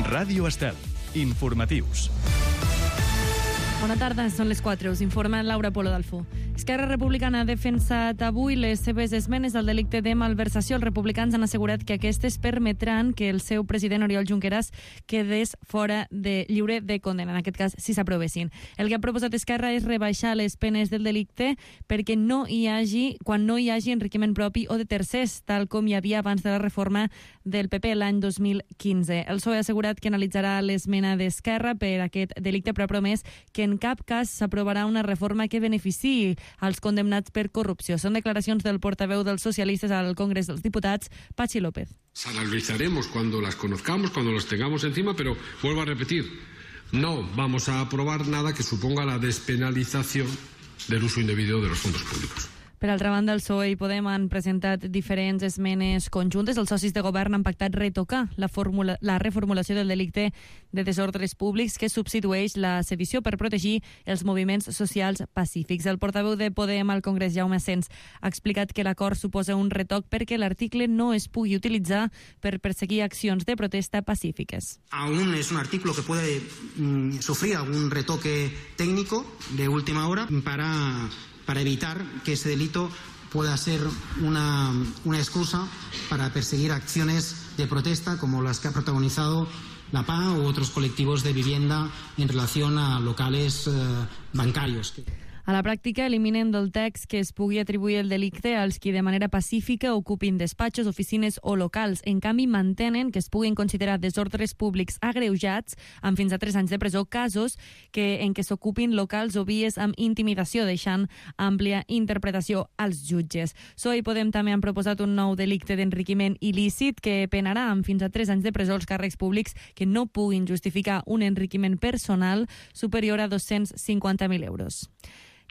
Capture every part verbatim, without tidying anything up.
Ràdio Estel. Informatius. Bona tarda, són les quatre. Us informa Laura Polo d'Alfó. Esquerra Republicana ha defensat avui les seves esmenes al delicte de malversació. Els republicans han assegurat que aquestes permetran que el seu president Oriol Junqueras quedés fora de lliure de condemna, en aquest cas, si s'aprovessin. El que ha proposat Esquerra és rebaixar les penes del delicte perquè no hi hagi, quan no hi hagi enriquiment propi o de tercers, tal com hi havia abans de la reforma del P P l'any dos mil quinze. El P S O E ha assegurat que analitzarà l'esmena d'Esquerra per aquest delicte, però ha promès que en cap cas s'aprovarà una reforma que beneficiï als condemnats per corrupció. Són declaracions del portaveu dels socialistes al Congrés dels Diputats, Patxi López. Las analizaremos cuando las conozcamos, cuando las tengamos encima, pero vuelvo a repetir, no vamos a aprobar nada que suponga la despenalización del uso indebido de los fondos públicos. Per altra banda, el P S O E i Podem han presentat diferents esmenes conjuntes. Els socis de govern han pactat retocar la, formula, la reformulació del delicte de desordres públics que substitueix la sedició per protegir els moviments socials pacífics. El portaveu de Podem al Congrés, Jaume Asens, ha explicat que l'acord suposa un retoc perquè l'article no es pugui utilitzar per perseguir accions de protesta pacífiques. Aún es un artículo que puede mm, sufrir algún retoque técnico de última hora para... para evitar que ese delito pueda ser una, una excusa para perseguir acciones de protesta como las que ha protagonizado la P A u otros colectivos de vivienda en relación a locales eh, bancarios. A la pràctica, eliminen del text que es pugui atribuir el delicte als qui de manera pacífica ocupin despatxos, oficines o locals. En canvi, mantenen que es puguin considerar desordres públics agreujats amb fins a tres anys de presó casos que, en què s'ocupin locals o vies amb intimidació, deixant àmplia interpretació als jutges. P S O E i Podem també han proposat un nou delicte d'enriquiment il·lícit que penarà amb fins a tres anys de presó els càrrecs públics que no puguin justificar un enriquiment personal superior a dos-cents cinquanta mil euros.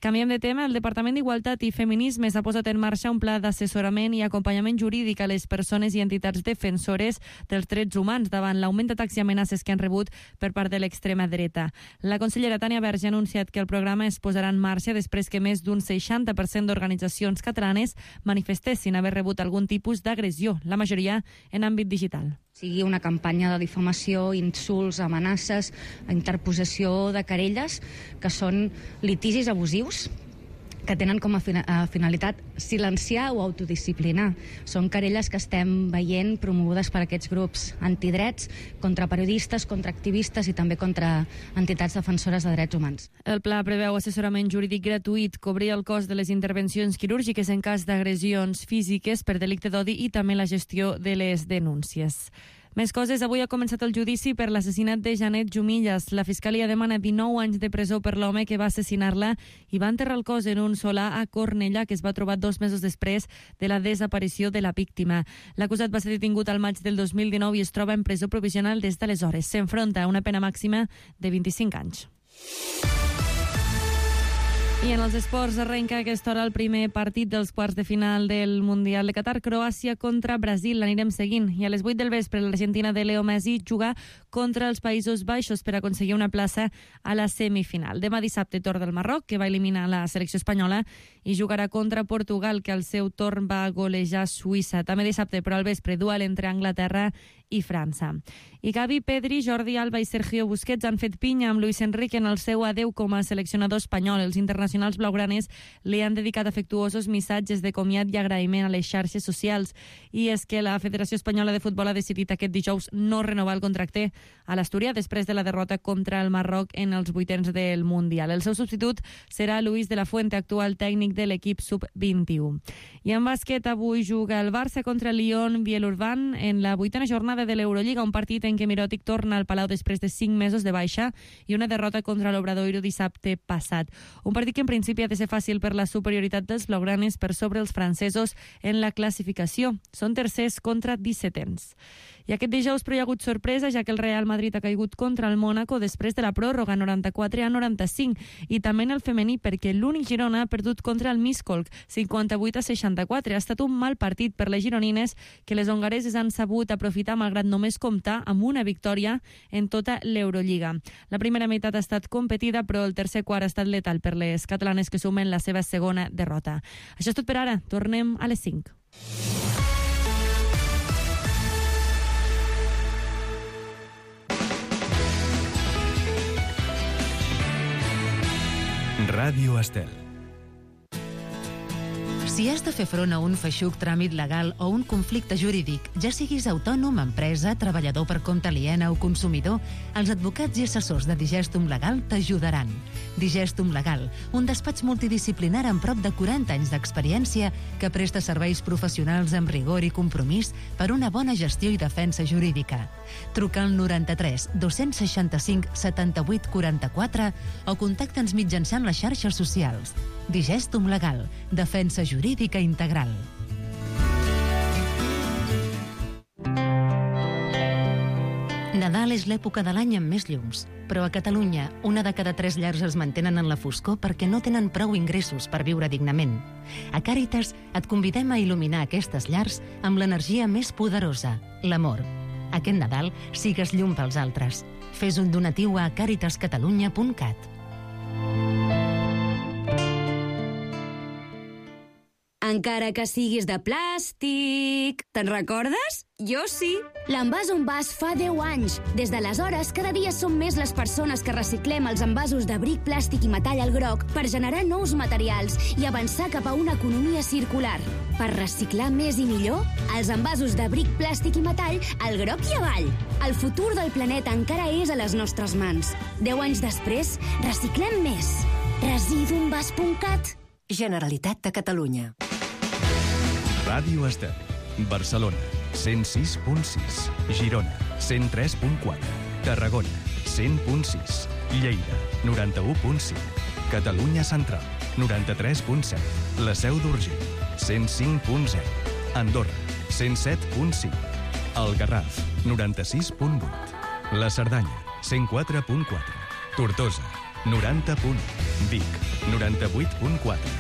Canviem de tema. El Departament d'Igualtat i Feminismes ha posat en marxa un pla d'assessorament i acompanyament jurídic a les persones i entitats defensores dels drets humans davant l'augment d'atacs i amenaces que han rebut per part de l'extrema dreta. La consellera Tània Verge ha anunciat que el programa es posarà en marxa després que més d'un seixanta per cent d'organitzacions catalanes manifestessin haver rebut algun tipus d'agressió, la majoria en àmbit digital. Sigui una campanya de difamació, insults, amenaces, interposició de querelles, que són litigis abusius que tenen com a finalitat silenciar o autodisciplinar. Són querelles que estem veient promogudes per aquests grups antidrets contra periodistes, contra activistes i també contra entitats defensores de drets humans. El pla preveu assessorament jurídic gratuït, cobrir el cost de les intervencions quirúrgiques en cas d'agressions físiques per delicte d'odi i també la gestió de les denúncies. Més coses. Avui ha començat el judici per l'assassinat de Janet Jumillas. La Fiscalia demana dinou anys de presó per l'home que va assassinar-la i va enterrar el cos en un solar a Cornellà, que es va trobar dos mesos després de la desaparició de la víctima. L'acusat va ser detingut al maig del dos mil dinou i es troba en presó provisional des d'aleshores. S'enfronta a una pena màxima de vint-i-cinc anys. I en els esports arrenca a aquesta hora el primer partit dels quarts de final del Mundial de Qatar, Croàcia contra Brasil. L'anirem seguint. I a les vuit del vespre l'Argentina de Leo Messi juga contra els Països Baixos per aconseguir una plaça a la semifinal. Demà dissabte torn del Marroc, que va eliminar la selecció espanyola, i jugarà contra Portugal, que al seu torn va golejar Suïssa. També dissabte, però al vespre, duel entre Anglaterra i França. I Gavi, Pedri, Jordi Alba i Sergio Busquets han fet pinya amb Luis Enrique en el seu adeu com a seleccionador espanyol. Els internacionals Els blaugranes li han dedicat afectuosos missatges de comiat i agraïment a les xarxes socials. I és que la Federació Espanyola de Futbol ha decidit aquest dijous no renovar el contracte a l'Astúria després de la derrota contra el Marroc en els vuitens del Mundial. El seu substitut serà Luis de la Fuente, actual tècnic de l'equip sub vint-i-u. I en bàsquet, avui juga el Barça contra el Lyon Bielorban en la vuitena jornada de l'Eurolliga, un partit en què Mirotic torna al Palau després de cinc mesos de baixa i una derrota contra l'Obradoiro dissabte passat. Un partit que en principi ha de ser fàcil per la superioritat dels blaugranes per sobre els francesos en la classificació. Són tercers contra dissetens. I aquest dijous però hi ha hagut sorpresa, ja que el Real Madrid ha caigut contra el Mónaco després de la pròrroga noranta-quatre a noranta-cinc, i també en el femení perquè l'únic Girona ha perdut contra el Miskolc cinquanta-vuit a seixanta-quatre. Ha estat un mal partit per les gironines, que les hongareses han sabut aprofitar malgrat només comptar amb una victòria en tota l'Eurolliga. La primera meitat ha estat competida, però el tercer quart ha estat letal per les catalanes, que sumen la seva segona derrota. Això és tot per ara. Tornem a les cinc. Ràdio Estel. Si has de fer front a un feixuc tràmit legal o un conflicte jurídic, ja siguis autònom, empresa, treballador per compte aliena o consumidor, els advocats i assessors de Digestum Legal t'ajudaran. Digestum Legal, un despatx multidisciplinar amb prop de quaranta anys d'experiència que presta serveis professionals amb rigor i compromís per una bona gestió i defensa jurídica. Truca al noranta-tres dos-cents seixanta-cinc setanta-vuit quaranta-quatre o contacta'ns mitjançant les xarxes socials. Digestum Legal, defensa jurídica integral. Nadal és l'època de l'any amb més llums, però a Catalunya una de cada tres llars es mantenen en la foscor perquè no tenen prou ingressos per viure dignament. A Càritas et convidem a il·luminar aquestes llars amb l'energia més poderosa, l'amor. Aquest Nadal sigues llum pels altres. Fes un donatiu a càritas catalunya punt cat. Encara que siguis de plàstic. Te'n recordes? Jo sí. L'Envàs on Vas fa deu anys. Des d'aleshores, cada dia som més les persones que reciclem els envasos de bric, plàstic i metall al groc per generar nous materials i avançar cap a una economia circular. Per reciclar més i millor, els envasos de bric, plàstic i metall al groc i avall. El futur del planeta encara és a les nostres mans. Deu anys després, reciclem més. residuenvas punt cat. Generalitat de Catalunya. Ràdio Estel. Barcelona, cent sis punt sis. Girona, cent tres punt quatre. Tarragona, cent punt sis. Lleida, noranta-u punt cinc. Catalunya Central, noranta-tres punt set. La Seu d'Urgell, cent cinc punt zero. Andorra, cent set punt cinc. El Garraf, noranta-sis punt vuit. La Cerdanya, cent quatre punt quatre. Tortosa, noranta punt u. Vic, noranta-vuit punt quatre.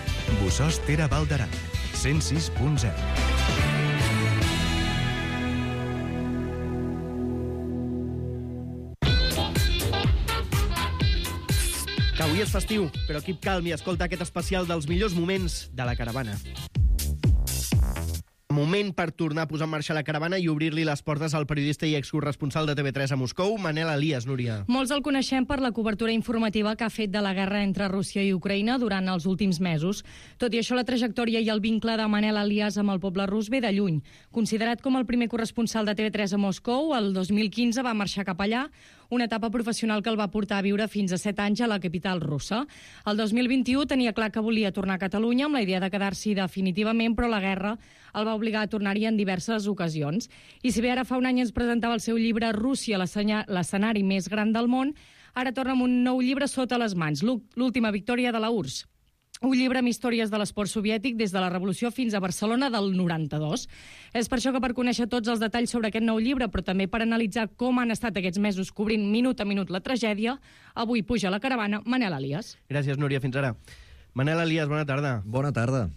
Bossòst-Tere Val d'Aran, cent sis punt zero. Que avui és festiu, però equip calm i escolta aquest especial dels millors moments de la caravana. Moment per tornar a posar en marxa la caravana i obrir-li les portes al periodista i excorresponsal de T V tres a Moscou, Manel Elias, Núria. Molts el coneixem per la cobertura informativa que ha fet de la guerra entre Rússia i Ucraïna durant els últims mesos. Tot i això, la trajectòria i el vincle de Manel Elias amb el poble rus ve de lluny. Considerat com el primer corresponsal de T V tres a Moscou, el dos mil quinze va marxar cap allà, una etapa professional que el va portar a viure fins a set anys a la capital russa. El dos mil vint-i-u tenia clar que volia tornar a Catalunya amb la idea de quedar-s'hi definitivament, però la guerra el va obligar a tornar-hi en diverses ocasions. I si bé ara fa un any ens presentava el seu llibre Rússia, l'escenari més gran del món, ara torna amb un nou llibre sota les mans, L'última victòria de la U R S S. Un llibre amb històries de l'esport soviètic des de la Revolució fins a Barcelona del noranta-dos. És per això que per conèixer tots els detalls sobre aquest nou llibre, però també per analitzar com han estat aquests mesos cobrint minut a minut la tragèdia, avui puja a la caravana Manel Elias. Gràcies, Núria. Fins ara. Manel Elias, bona tarda. Bona tarda.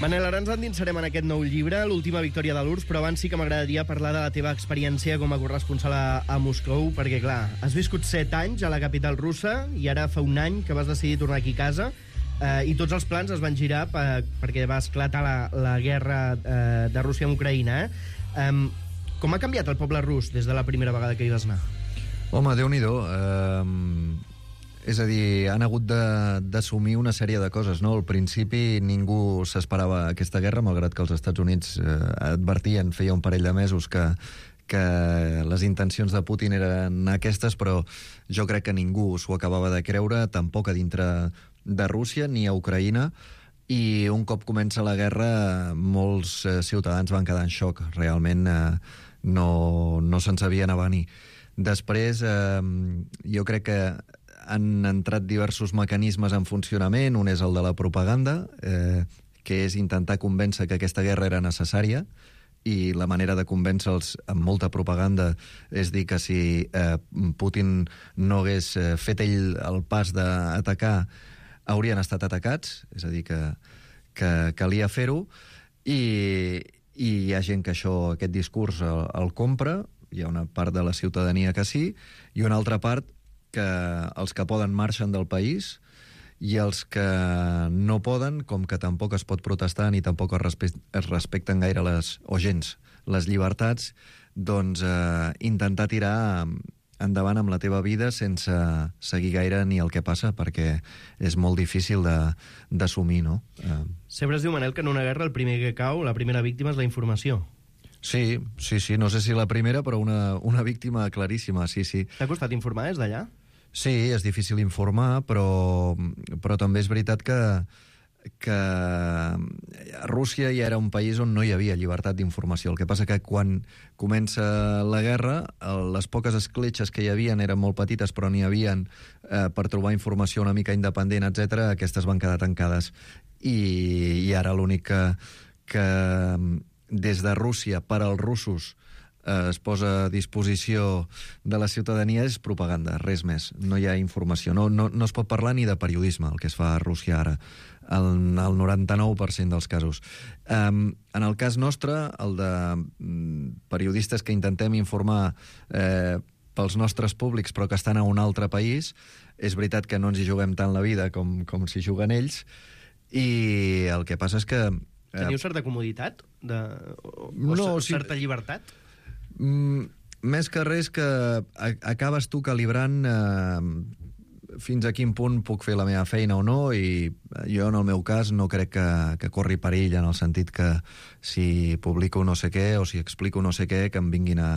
Manel, ara ens endinsarem en aquest nou llibre, L'última victòria de l'U R S S, però abans sí que m'agradaria parlar de la teva experiència com a corresponsal a, a Moscou, perquè, clar, has viscut set anys a la capital russa i ara fa un any que vas decidir tornar aquí a casa eh, i tots els plans es van girar per, perquè va esclatar la, la guerra eh, de Rússia amb Ucraïna. Eh? Um, com ha canviat el poble rus des de la primera vegada que hi vas anar? Home, Déu-n'hi-do. Eh, és a dir, han hagut d'assumir una sèrie de coses, no? Al principi ningú s'esperava aquesta guerra, malgrat que els Estats Units eh, advertien, feia un parell de mesos que, que les intencions de Putin eren aquestes, però jo crec que ningú s'ho acabava de creure, tampoc a dintre de Rússia ni a Ucraïna, i un cop comença la guerra molts eh, ciutadans van quedar en xoc. Realment eh, no, no se'n sabien avenir. Després, eh, jo crec que han entrat diversos mecanismes en funcionament. Un és el de la propaganda, eh, que és intentar convèncer que aquesta guerra era necessària, i la manera de convèncer-los amb molta propaganda és dir que si eh, Putin no hagués fet ell el pas d'atacar, haurien estat atacats, és a dir, que, que calia fer-ho, i, i hi ha gent que això, aquest discurs el, el compra, hi ha una part de la ciutadania que sí, i una altra part que els que poden marxen del país i els que no poden, com que tampoc es pot protestar ni tampoc es, respe es respecten gaire les, o gens les llibertats, doncs eh, intentar tirar endavant amb la teva vida sense seguir gaire ni el que passa, perquè és molt difícil d'assumir, no? Eh... Sempre es diu, Manel, que en una guerra el primer que cau, la primera víctima és la informació. Sí, sí, sí, no sé si la primera, però una, una víctima claríssima, sí, sí. T'ha costat informar des d'allà? Sí, és difícil informar, però, però també és veritat que, que Rússia ja era un país on no hi havia llibertat d'informació. El que passa que quan comença la guerra, les poques escletxes que hi havia eren molt petites, però n'hi havien eh, per trobar informació una mica independent, etcètera. Aquestes van quedar tancades. I, i ara l'únic que, que des de Rússia per als russos eh, es posa a disposició de la ciutadania és propaganda, res més. No hi ha informació. No, no, no es pot parlar ni de periodisme, el que es fa a Rússia ara, el, el noranta-nou per cent dels casos. Um, en el cas nostre, el de um, periodistes que intentem informar eh, pels nostres públics però que estan a un altre país, és veritat que no ens hi juguem tant la vida com, com s'hi juguen ells, i el que passa és que... Eh, Teniu certa comoditat? De, o, o no, certa sí, llibertat? Mm, més que res que acabes tu calibrant eh, fins a quin punt puc fer la meva feina o no, i jo en el meu cas no crec que, que corri perill, en el sentit que si publico no sé què o si explico no sé què, que em vinguin a,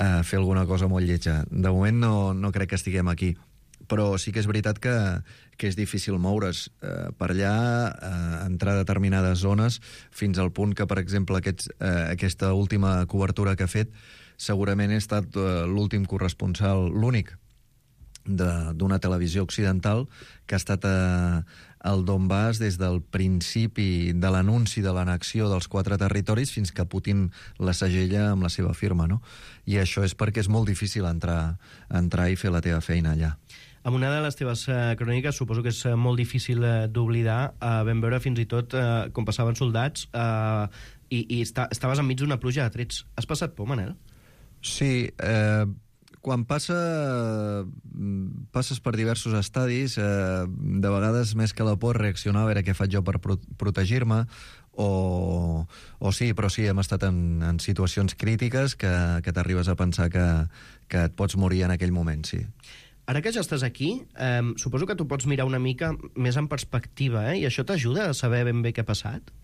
a fer alguna cosa molt lletja. De moment no, no crec que estiguem aquí. Però sí que és veritat que, que és difícil moure's eh, per allà, eh, entrar a determinades zones, fins al punt que, per exemple, aquests, eh, aquesta última cobertura que he fet, segurament he estat eh, l'últim corresponsal, l'únic, d'una televisió occidental que ha estat eh, al Donbass des del principi de l'anunci de l'annexió dels quatre territoris fins que Putin la segella amb la seva firma, no? I això és perquè és molt difícil entrar, entrar i fer la teva feina allà. Amb una de les teves uh, cròniques, suposo que és uh, molt difícil uh, d'oblidar, uh, vam veure fins i tot uh, com passaven soldats uh, i, i esta, estaves enmig d'una pluja de trets. Has passat por, Manel? Sí, eh, quan passa, passes per diversos estadis, eh, de vegades més que la por reaccionar a veure què faig jo per pro protegir-me, o, o sí, però sí, hem estat en, en situacions crítiques que, que t'arribes a pensar que, que et pots morir en aquell moment, sí. Ara que ja estàs aquí, eh, suposo que tu pots mirar una mica més en perspectiva, eh? I això t'ajuda a saber ben bé què ha passat?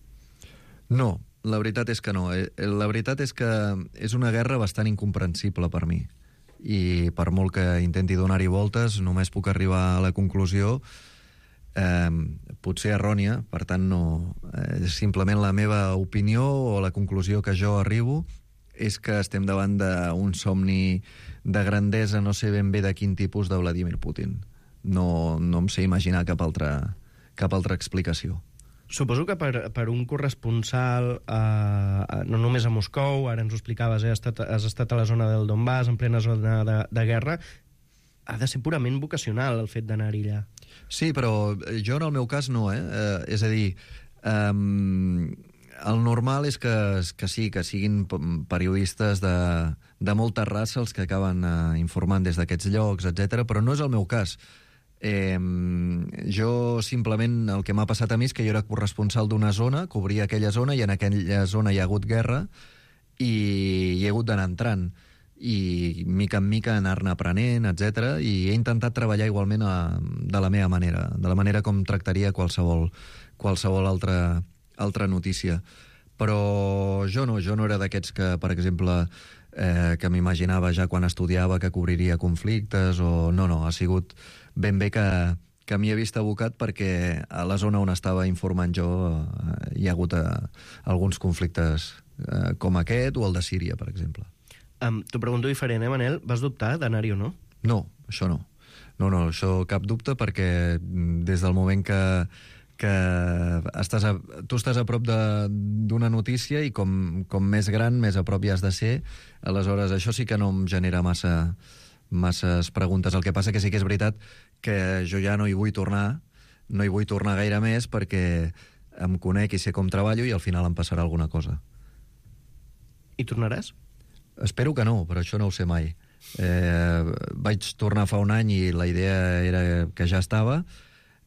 No, la veritat és que no. La veritat és que és una guerra bastant incomprensible per mi. I per molt que intenti donar-hi voltes, només puc arribar a la conclusió, eh, potser errònia, per tant, no, eh, simplement la meva opinió o la conclusió que jo arribo és que estem davant d'un somni de grandesa, no sé ben bé de quin tipus, de Vladimir Putin. No, no em sé imaginar cap altra, cap altra explicació. Suposo que per, per un corresponsal, eh, no només a Moscou, ara ens ho explicaves, eh, has, estat, has estat a la zona del Donbass, en plena zona de, de guerra, ha de ser purament vocacional el fet d'anar-hi allà. Sí, però jo en el meu cas no, eh? eh és a dir, eh, el normal és que, que sí, que siguin periodistes de, de molta raça els que acaben eh, informant des d'aquests llocs, etcètera, però no és el meu cas. Eh, jo simplement el que m'ha passat a mi és que jo era corresponsal d'una zona, cobria aquella zona i en aquella zona hi ha hagut guerra i hi he hagut d'anar entrant i mica en mica anar-ne aprenent, etcètera, i he intentat treballar igualment a, de la meva manera, de la manera com tractaria qualsevol, qualsevol altra, altra notícia. Però jo no, jo no era d'aquests que, per exemple, eh, que m'imaginava ja quan estudiava que cobriria conflictes, o no, no, ha sigut ben bé que, que m'hi he vist abocat perquè a la zona on estava informant jo eh, hi ha hagut eh, alguns conflictes eh, com aquest o el de Síria, per exemple. Um, T'ho pregunto diferent, eh, Manel? Vas dubtar d'anar-hi o no? No, això no. No, no, això cap dubte, perquè des del moment que, que estàs a, tu estàs a prop d'una notícia i com, com més gran, més a prop hi has de ser, aleshores això sí que no em genera massa, masses preguntes. El que passa que sí que és veritat que jo ja no hi vull tornar, no hi vull tornar gaire més perquè em conec i sé com treballo i al final em passarà alguna cosa. Hi tornaràs? Espero que no, però això no ho sé mai. Eh, vaig tornar fa un any i la idea era que ja estava.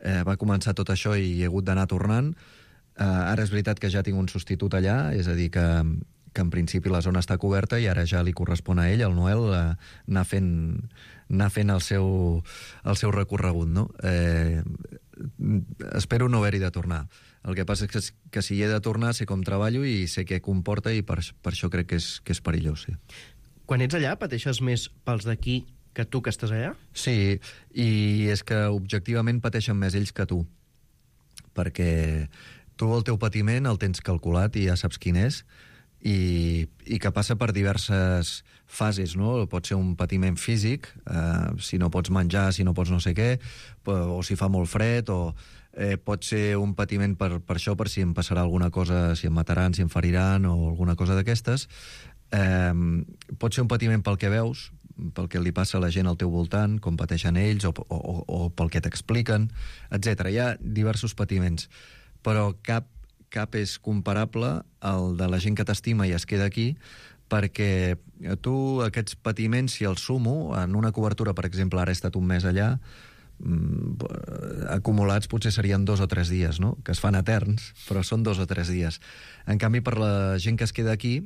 Eh, va començar tot això i he hagut d'anar tornant. Eh, ara és veritat que ja tinc un substitut allà, és a dir, que, que en principi la zona està coberta i ara ja li correspon a ell, al Noel, eh, anar fent, anar fent el, seu, el seu recorregut, no? Eh, espero no haver-hi de tornar. El que passa és que, que si hi he de tornar sé com treballo i sé què comporta i per, per això crec que és, que és perillós, sí. Quan ets allà pateixes més pels d'aquí que tu que estàs allà? Sí, i és que objectivament pateixen més ells que tu, perquè tu el teu patiment el tens calculat i ja saps quin és, i, i que passa per diverses fases, no? Pot ser un patiment físic, eh, si no pots menjar, si no pots no sé què, o si fa molt fred, o eh, pot ser un patiment per, per això, per si em passarà alguna cosa, si em mataran, si em feriran, o alguna cosa d'aquestes. Eh, pot ser un patiment pel que veus, pel que li passa a la gent al teu voltant, com pateixen ells, o, o, o pel que t'expliquen, etcètera. Hi ha diversos patiments, però cap cap és comparable al de la gent que t'estima i es queda aquí, perquè tu aquests patiments, si els sumo, en una cobertura, per exemple, ara he estat un mes allà, acumulats potser serien dos o tres dies, no? Que es fan eterns, però són dos o tres dies. En canvi, per la gent que es queda aquí,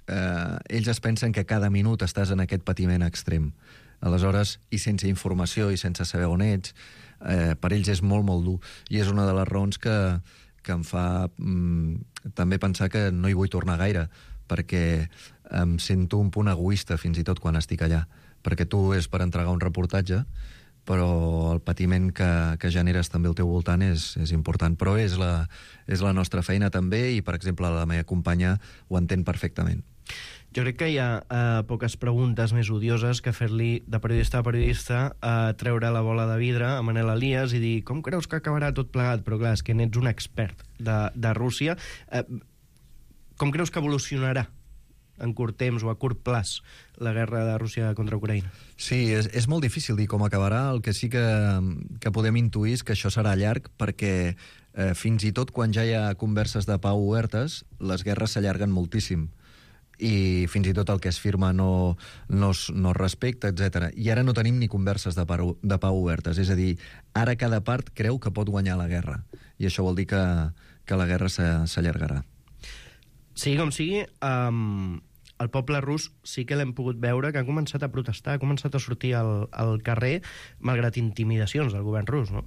eh, ells es pensen que cada minut estàs en aquest patiment extrem. Aleshores, i sense informació i sense saber on ets, eh, per ells és molt, molt dur. I és una de les raons que que em fa mm, també pensar que no hi vull tornar gaire, perquè em sento un punt egoista fins i tot quan estic allà, perquè tu és per entregar un reportatge, però el patiment que, que generes també al teu voltant és, és important, però és la, és la nostra feina també, i per exemple la meva companya ho entén perfectament. Jo crec que hi ha uh, poques preguntes més odioses que fer-li de periodista a periodista uh, treure la bola de vidre a Manel Elias i dir com creus que acabarà tot plegat? Però clar, és que n'ets un expert de, de Rússia. Uh, com creus que evolucionarà en curt temps o a curt plaç la guerra de Rússia contra Ucraïna? Sí, és, és molt difícil dir com acabarà. El que sí que, que podem intuir és que això serà llarg, perquè eh, fins i tot quan ja hi ha converses de pau obertes, les guerres s'allarguen moltíssim, i fins i tot el que es firma no, no, es, no es respecta, etcètera. I ara no tenim ni converses de pau, de pau obertes. És a dir, ara cada part creu que pot guanyar la guerra. I això vol dir que, que la guerra s'allargarà. Sigui com sigui, um, el poble rus sí que l'hem pogut veure que ha començat a protestar, ha començat a sortir al, al carrer, malgrat intimidacions del govern rus, no?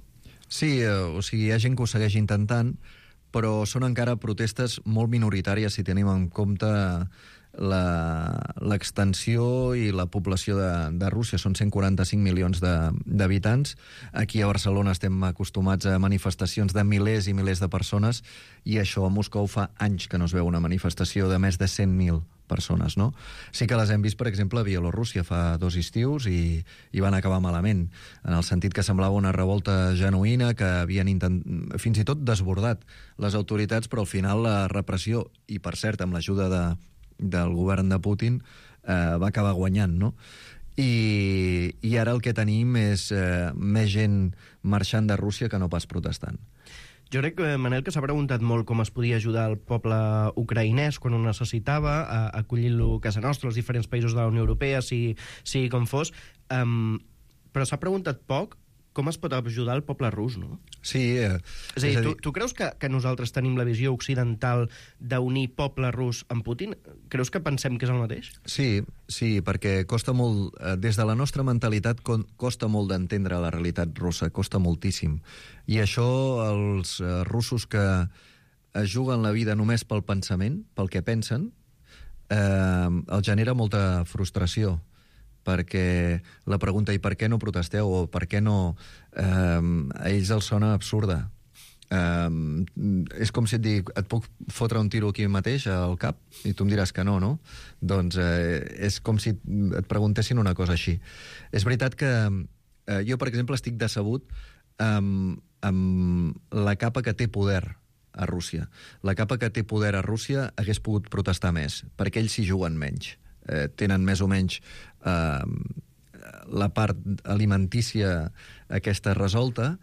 Sí, eh, o sigui, hi ha gent que ho segueix intentant, però són encara protestes molt minoritàries si tenim en compte l'extensió i la població de, de Rússia. Són cent quaranta-cinc milions d'habitants. Aquí a Barcelona estem acostumats a manifestacions de milers i milers de persones, i això a Moscou fa anys que no es veu una manifestació de més de cent mil persones, no? Sí que les hem vist, per exemple, a Bielorússia fa dos estius i, i van acabar malament, en el sentit que semblava una revolta genuïna, que havien intent... fins i tot desbordat les autoritats, però al final la repressió, i per cert amb l'ajuda de, del govern de Putin, eh, va acabar guanyant, no? I, i ara el que tenim és eh, més gent marxant de Rússia que no pas protestant. Jo crec, Manel, que s'ha preguntat molt com es podia ajudar el poble ucraïnès quan ho necessitava, acollint-lo a casa nostra, als diferents països de la Unió Europea, sigui, sigui com fos, um, però s'ha preguntat poc com es pot ajudar el poble rus, no? Sí. Eh, és a dir, tu, tu creus que, que nosaltres tenim la visió occidental d'unir poble rus amb Putin? Creus que pensem que és el mateix? Sí, sí, perquè costa molt, eh, des de la nostra mentalitat costa molt d'entendre la realitat russa, costa moltíssim. I això els eh, russos que es juguen la vida només pel pensament, pel que pensen, eh, els genera molta frustració, perquè la pregunta, i per què no protesteu, o per què no, eh, a ells els sona absurda. Eh, és com si et dic, et puc fotre un tiro aquí mateix al cap? I tu em diràs que no, no? Doncs eh, és com si et preguntessin una cosa així. És veritat que eh, jo, per exemple, estic decebut amb, amb la capa que té poder a Rússia. La capa que té poder a Rússia hagués pogut protestar més, perquè ells s'hi juguen menys. Eh, tenen més o menys eh, la part alimentícia aquesta resolta,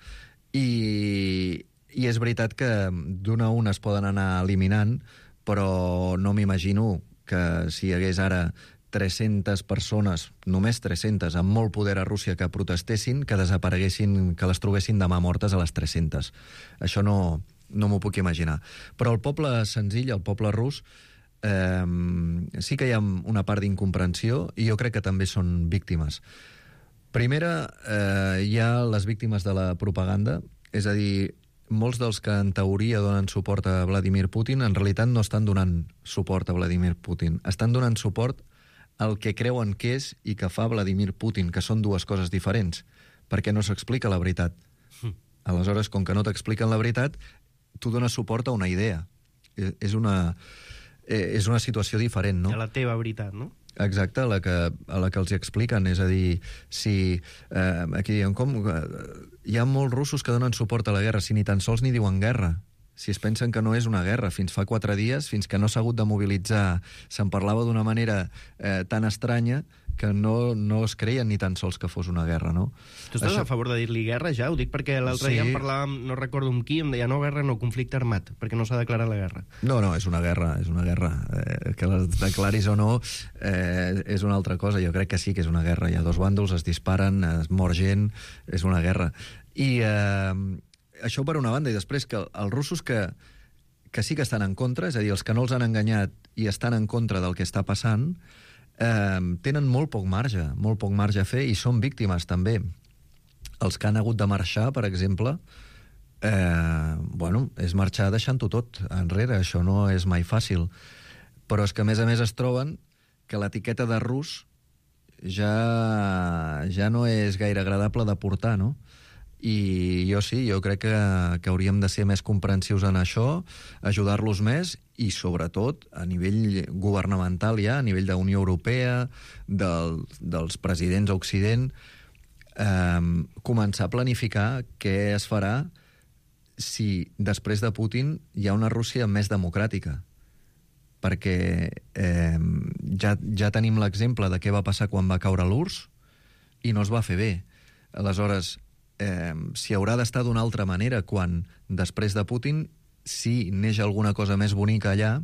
i, i és veritat que d'una a una es poden anar eliminant, però no m'imagino que si hi hagués ara tres-centes persones, només tres-centes, amb molt poder a Rússia que protestessin, que desapareguessin, que les trobessin demà mortes a les tres-centes. Això no, no m'ho puc imaginar. Però el poble senzill, el poble rus, eh, sí que hi ha una part d'incomprensió i jo crec que també són víctimes. Primera, eh, hi ha les víctimes de la propaganda, és a dir, molts dels que en teoria donen suport a Vladimir Putin en realitat no estan donant suport a Vladimir Putin, estan donant suport el que creuen que és i que fa Vladimir Putin, que són dues coses diferents, perquè no s'explica la veritat. Aleshores, com que no t'expliquen la veritat, tu dones suport a una idea. És una, és una situació diferent, no? A la teva veritat, no? Exacte, a la que, a la que els expliquen. És a dir, si... Eh, aquí diuen, com... Hi ha molts russos que donen suport a la guerra, si ni tan sols ni diuen guerra. Si es pensen que no és una guerra. Fins fa quatre dies, fins que no s'ha hagut de mobilitzar, se'n parlava d'una manera eh, tan estranya que no, no es creien ni tan sols que fos una guerra, no? Tu estàs Això... a favor de dir-li guerra, ja? Ho dic perquè l'altre sí. dia em parlàvem, no recordo amb qui, em deia no guerra, no conflicte armat, perquè no s'ha declarat la guerra. No, no, és una guerra, és una guerra. Eh, que la declaris o no eh, és una altra cosa. Jo crec que sí que és una guerra. Hi ha dos bàndols, es disparen, es mor gent, és una guerra. I... Eh, això per una banda, i després que els russos que, que sí que estan en contra, és a dir, els que no els han enganyat i estan en contra del que està passant, eh, tenen molt poc marge, molt poc marge a fer, i són víctimes també. Els que han hagut de marxar, per exemple, eh, bueno, és marxar deixant-ho tot enrere, això no és mai fàcil. Però és que, a més a més, es troben que l'etiqueta de rus ja, ja no és gaire agradable de portar, no? I jo sí, jo crec que, que hauríem de ser més comprensius en això, ajudar-los més i, sobretot, a nivell governamental ja, a nivell de Unió Europea, del, dels presidents a Occident, eh, començar a planificar què es farà si després de Putin hi ha una Rússia més democràtica. Perquè eh, ja, ja tenim l'exemple de què va passar quan va caure l'U R S S i no es va fer bé. Aleshores, Eh, si haurà d'estar d'una altra manera quan, després de Putin, si neix alguna cosa més bonica allà,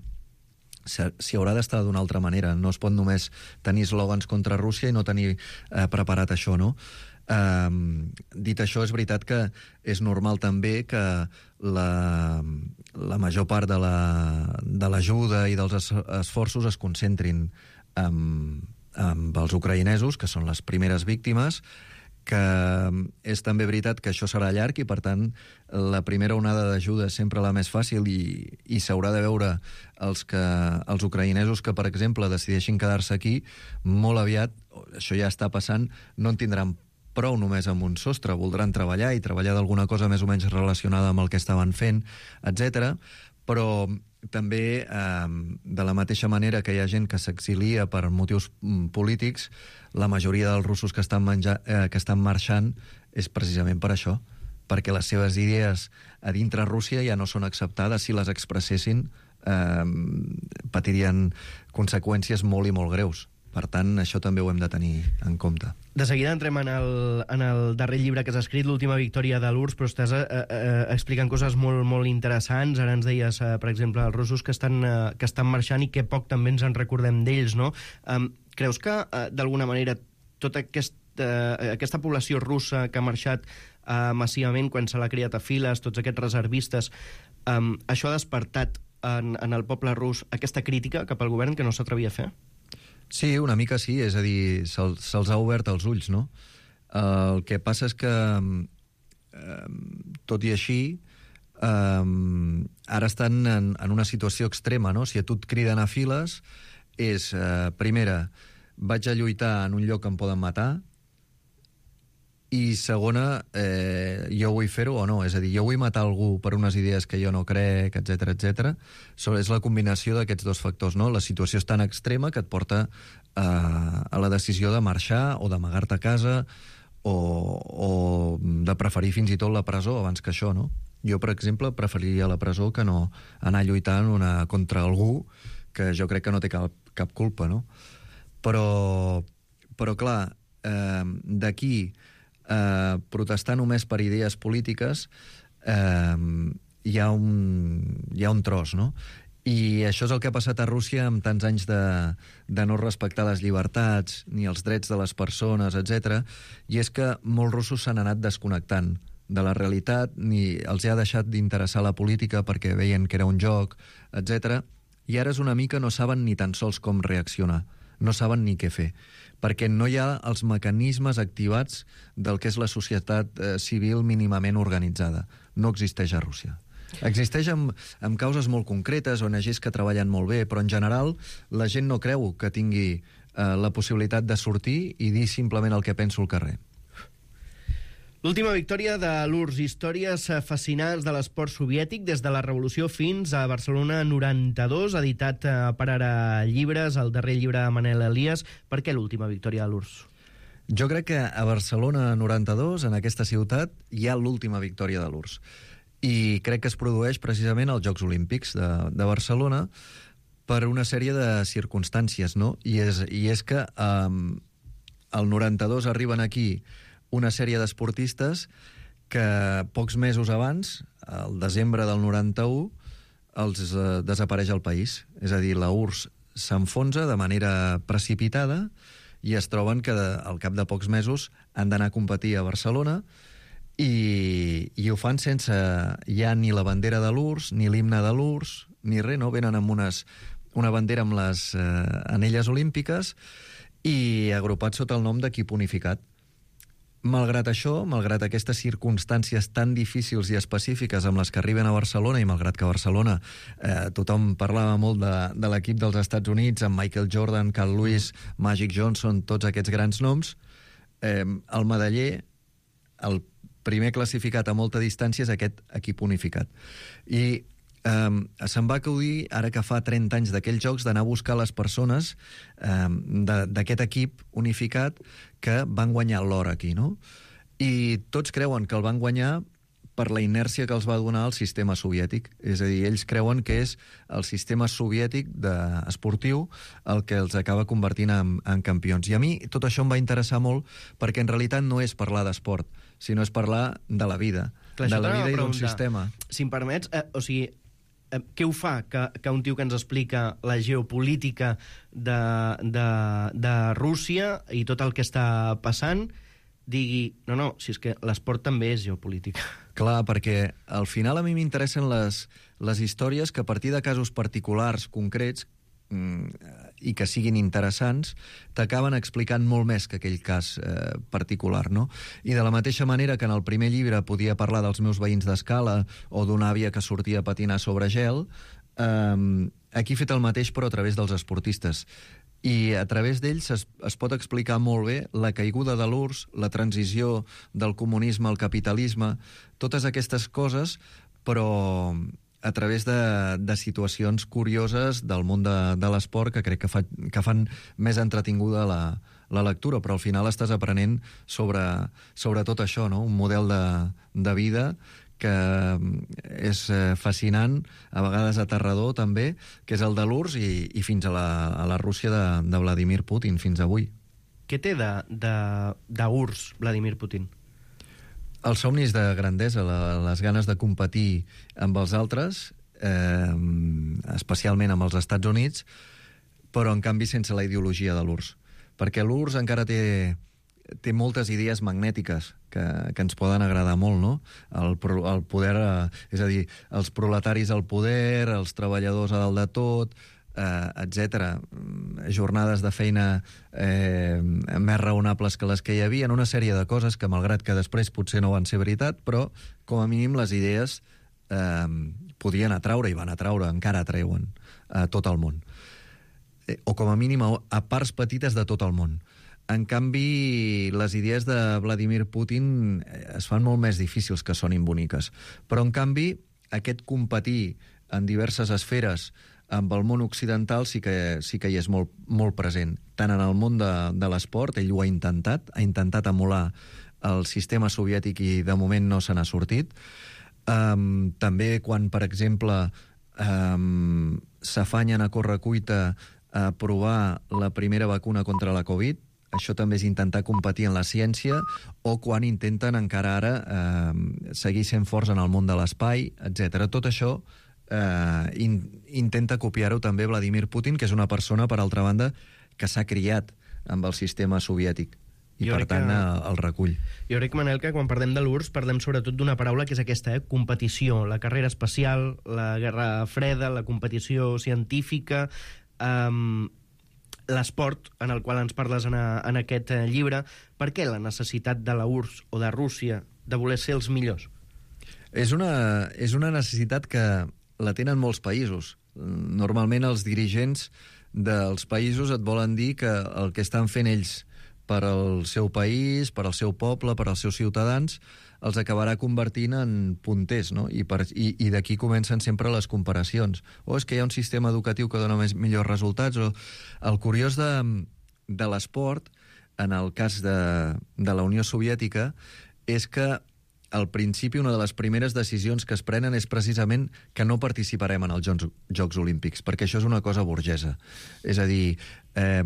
si haurà d'estar d'una altra manera. No es pot només tenir eslògans contra Rússia i no tenir eh, preparat això, no? Eh, dit això, és veritat que és normal també que la, la major part de l'ajuda la, i dels es, esforços es concentrin amb, amb els ucraïnesos, que són les primeres víctimes, que és també veritat que això serà llarg i, per tant, la primera onada d'ajuda és sempre la més fàcil i, i s'haurà de veure els, que, els ucraïnesos que, per exemple, decideixin quedar-se aquí, molt aviat, això ja està passant, no en tindran prou només amb un sostre, voldran treballar i treballar d'alguna cosa més o menys relacionada amb el que estaven fent, etcètera. Però també, eh, de la mateixa manera que hi ha gent que s'exilia per motius polítics, la majoria dels russos que estan, menja, eh, que estan marxant és precisament per això, perquè les seves idees a dintre Rússia ja no són acceptades. Si les expressessin, eh, patirien conseqüències molt i molt greus. Per tant, això també ho hem de tenir en compte. De seguida entrem en el, en el darrer llibre que has escrit, L'última victòria de l'U R S S, però estàs eh, eh, explicant coses molt, molt interessants. Ara ens deies, eh, per exemple, els russos que estan, eh, que estan marxant i que poc també ens en recordem d'ells, no? Um, creus que, eh, d'alguna manera, tota aquesta, eh, aquesta població russa que ha marxat eh, massivament quan se l'ha criat a files, tots aquests reservistes, um, això ha despertat en, en el poble rus aquesta crítica cap al govern que no s'atrevia a fer? Sí, una mica sí, és a dir, se'ls se ha obert els ulls, no? El que passa és que, eh, tot i així, eh, ara estan en, en una situació extrema, no? Si a tu et criden a files, és, eh, primera, vaig a lluitar en un lloc que em poden matar, i segona, eh, jo vull fer-ho o no, és a dir, jo vull matar algú per unes idees que jo no crec, etcètera, etcètera. És la combinació d'aquests dos factors, no? La situació és tan extrema que et porta a, a la decisió de marxar o d'amagar-te a casa o, o de preferir fins i tot la presó abans que això, no? Jo, per exemple, preferiria la presó que no anar lluitant una, contra algú que jo crec que no té cap, cap culpa, no? Però, però clar, eh, d'aquí Eh, protestar només per idees polítiques, eh, hi ha un, hi ha un tros, no? I això és el que ha passat a Rússia amb tants anys de, de no respectar les llibertats, ni els drets de les persones, etcètera. I és que molts russos s'han anat desconnectant de la realitat, ni els ha deixat d'interessar la política perquè veien que era un joc, etcètera. I ara és una mica no saben ni tan sols com reaccionar, no saben ni què fer, perquè no hi ha els mecanismes activats del que és la societat eh, civil mínimament organitzada. No existeix a Rússia. Existeix amb, amb causes molt concretes, O N Ges que treballen molt bé, però en general la gent no creu que tingui eh, la possibilitat de sortir i dir simplement el que penso al carrer. L'última victòria de l'U R S S, històries fascinants de l'esport soviètic des de la Revolució fins a Barcelona noranta-dos, editat per Ara Llibres, el darrer llibre de Manel Elias. Per què l'última victòria de l'U R S S? Jo crec que a Barcelona noranta-dos, en aquesta ciutat, hi ha l'última victòria de l'U R S S. I crec que es produeix precisament als Jocs Olímpics de, de Barcelona per una sèrie de circumstàncies, no? I és, i és que um, al noranta-dos arriben aquí una sèrie d'esportistes que pocs mesos abans, al desembre del noranta-u, els eh, desapareix el país. És a dir, la U R S S s'enfonsa de manera precipitada i es troben que de, al cap de pocs mesos han d'anar a competir a Barcelona i, i ho fan sense ja ni la bandera de l'U R S S, ni l'himne de l'U R S S, ni res, no? Venen amb unes, una bandera amb les eh, anelles olímpiques i agrupats sota el nom d'equip unificat. Malgrat això, malgrat aquestes circumstàncies tan difícils i específiques amb les que arriben a Barcelona, i malgrat que a Barcelona eh, tothom parlava molt de, de l'equip dels Estats Units, amb Michael Jordan, Carl Lewis, Magic Johnson, tots aquests grans noms, eh, el medaller, el primer classificat a molta distància és aquest equip unificat. I Um, se'm va acudir, ara que fa trenta anys d'aquells jocs, d'anar a buscar les persones um, d'aquest equip unificat que van guanyar l'or aquí, no? I tots creuen que el van guanyar per la inèrcia que els va donar el sistema soviètic. És a dir, ells creuen que és el sistema soviètic de, esportiu el que els acaba convertint en, en campions. I a mi tot això em va interessar molt perquè en realitat no és parlar d'esport, sinó és parlar de la vida, Clar, de la vida i d'un preguntar, sistema. Si em permets, eh, o sigui, eh, què ho fa que, que un tio que ens explica la geopolítica de, de, de Rússia i tot el que està passant digui, no, no, si és que l'esport també és geopolítica. Clar, perquè al final a mi m'interessen les, les històries que a partir de casos particulars, concrets, i que siguin interessants, t'acaben explicant molt més que aquell cas eh, particular, no? I de la mateixa manera que en el primer llibre podia parlar dels meus veïns d'escala o d'una àvia que sortia a patinar sobre gel, eh, aquí he fet el mateix però a través dels esportistes. I a través d'ells es, es pot explicar molt bé la caiguda de l'U R S S, la transició del comunisme al capitalisme, totes aquestes coses, però a través de, de situacions curioses del món de, de l'esport que crec que, fa, que fan més entretinguda la, la lectura, però al final estàs aprenent sobre, sobre tot això, no? Un model de, de vida que és fascinant, a vegades aterrador també, que és el de l'U R S S i, i fins a la, a la Rússia de, de Vladimir Putin, fins avui. Què té de, de, de U R S S Vladimir Putin? Els somnis de grandesa, la, les ganes de competir amb els altres, eh, especialment amb els Estats Units, però en canvi sense la ideologia de l'U R S S. Perquè l'U R S S encara té, té moltes idees magnètiques que, que ens poden agradar molt, no? El, el poder, eh, és a dir, els proletaris al poder, els treballadors a dalt de tot, eh, etcètera. Jornades de feina eh, més raonables que les que hi havia, una sèrie de coses que, malgrat que després potser no van ser veritat, però com a mínim les idees eh, podien atraure i van atraure, encara atreuen a tot el món. Eh, o com a mínim a, a parts petites de tot el món. En canvi, les idees de Vladimir Putin es fan molt més difícils que sonin boniques. Però, en canvi, aquest competir en diverses esferes amb el món occidental sí que, sí que hi és molt, molt present. Tant en el món de, de l'esport, ell ho ha intentat, ha intentat emular el sistema soviètic i de moment no se n'ha sortit. Um, també quan, per exemple, um, s'afanyen a correcuita a provar la primera vacuna contra la Covid, això també és intentar competir en la ciència, o quan intenten encara ara eh, seguir sent forts en el món de l'espai, etcètera. Tot això eh, in, intenta copiar-ho també Vladimir Putin, que és una persona, per altra banda, que s'ha criat amb el sistema soviètic. I, jo per tant, que, el recull. Jo crec, Manel, que quan parlem de l'U R S S parlem sobretot d'una paraula que és aquesta, eh? competició, la carrera espacial, la guerra freda, la competició científica, um, l'esport, en el qual ens parles en, a, en aquest eh, llibre. Per què la necessitat de la U R S S o de Rússia de voler ser els millors? És una, és una necessitat que la tenen molts països. Normalment els dirigents dels països et volen dir que el que estan fent ells per al seu país, per al seu poble, per als seus ciutadans, els acabarà convertint en punters, no? I, per, i, i d'aquí comencen sempre les comparacions. O és que hi ha un sistema educatiu que dona més, millors resultats. O... El curiós de, de l'esport, en el cas de, de la Unió Soviètica, és que al principi una de les primeres decisions que es prenen és precisament que no participarem en els Jocs, Jocs Olímpics, perquè això és una cosa burgesa. És a dir, eh,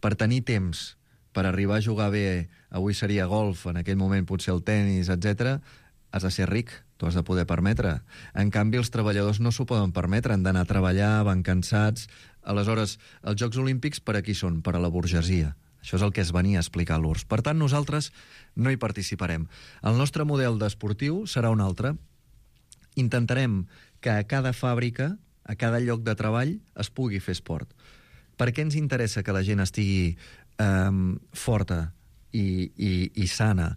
per tenir temps per arribar a jugar bé, avui seria golf, en aquell moment potser el tennis, etcètera, has de ser ric, t'ho has de poder permetre. En canvi, els treballadors no s'ho poden permetre, han d'anar a treballar, van cansats. Aleshores, els Jocs Olímpics per a qui són? Per a la burgesia. Això és el que es venia a explicar a l'U R S S. Per tant, nosaltres no hi participarem. El nostre model d'esportiu serà un altre. Intentarem que a cada fàbrica, a cada lloc de treball, es pugui fer esport. Per què ens interessa que la gent estigui Um, forta i, i, i sana?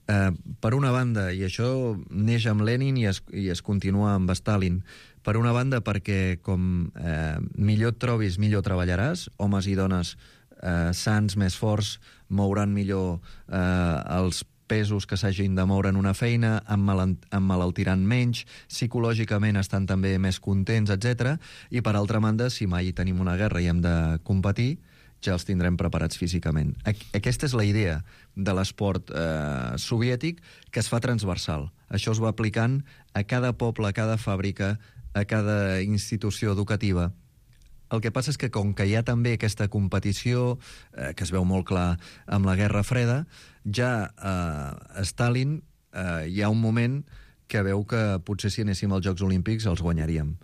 Uh, per una banda, i això neix amb Lenin i es, i es continua amb Stalin, per una banda perquè com uh, millor et trobis, millor treballaràs, homes i dones uh, sants, més forts, mouran millor uh, els pesos que s'hagin de moure en una feina, emmalaltiran menys, psicològicament estan també més contents, etcètera. I per altra banda, si mai tenim una guerra i hem de competir, ja els tindrem preparats físicament. Aquesta és la idea de l'esport eh, soviètic, que es fa transversal. Això es va aplicant a cada poble, a cada fàbrica, a cada institució educativa. El que passa és que com que hi ha també aquesta competició, eh, que es veu molt clar amb la Guerra Freda, ja eh, Stalin eh, hi ha un moment que veu que potser si anéssim als Jocs Olímpics els guanyaríem.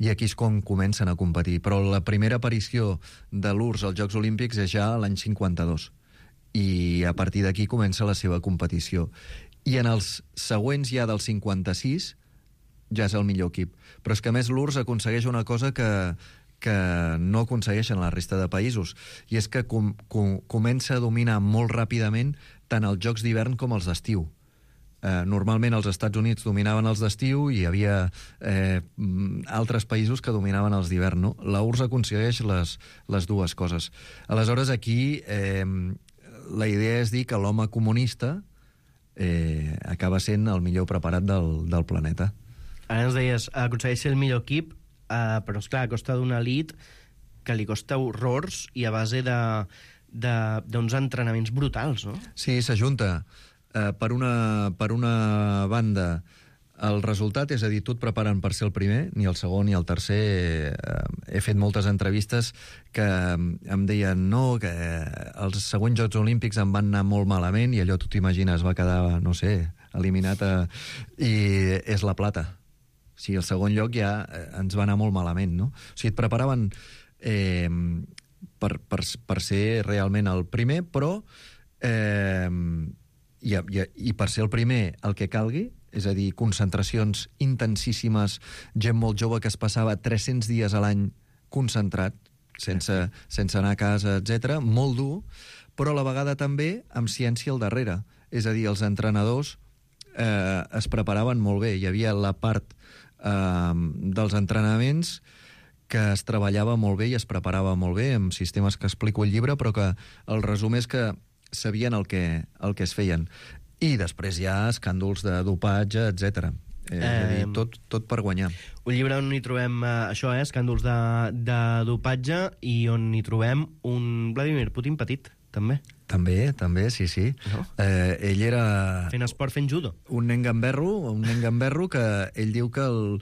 I aquí és com comencen a competir. Però la primera aparició de l'U R S S als Jocs Olímpics és ja l'any cinquanta-dos. I a partir d'aquí comença la seva competició. I en els següents ja del cinquanta-sis ja és el millor equip. Però és que a més l'U R S S aconsegueix una cosa que, que no aconsegueixen la resta de països. I és que com, com, comença a dominar molt ràpidament tant els Jocs d'hivern com els d'estiu. Eh, normalment els Estats Units dominaven els d'estiu i hi havia eh, altres països que dominaven els d'hivern, no? La U R S S aconsegueix les, les dues coses. Aleshores, aquí eh, la idea és dir que l'home comunista eh, acaba sent el millor preparat del, del planeta. Ara ens deies, aconsegueix ser el millor equip, eh, però esclar, a costa d'una elit que li costa horrors i a base de, de, d'uns entrenaments brutals, no? Sí, s'ajunta. Uh, per, una, per una banda, el resultat, és a dir, tu et preparen per ser el primer, ni el segon ni el tercer. Uh, he fet moltes entrevistes que em deien no, que els següents Jocs Olímpics em van anar molt malament i allò, tu t'imagines, va quedar, no sé, eliminat a... i és la plata. O sigui, el segon lloc ja ens va anar molt malament, no? O sigui, et preparaven eh, per, per, per ser realment el primer, però... Eh, I, i, i per ser el primer el que calgui, és a dir, concentracions intensíssimes, gent molt jove que es passava tres-cents dies a l'any concentrat, sense, sense anar a casa, etcètera, molt dur, però a la vegada també amb ciència al darrere. És a dir, els entrenadors eh, es preparaven molt bé. Hi havia la part eh, dels entrenaments que es treballava molt bé i es preparava molt bé, amb sistemes que explico al llibre, però que el resum és que sabien el que, el que es feien. I després hi ha escàndols de dopatge, etcètera. Eh, és a dir, tot, tot per guanyar. Un llibre on hi trobem eh, això, eh, escàndols de, de dopatge, i on hi trobem un Vladimir Putin petit, també. També, també, sí, sí. No? Eh, ell era... Fent esport, fent judo. Un nen gamberro, un nen gamberro que ell diu que el,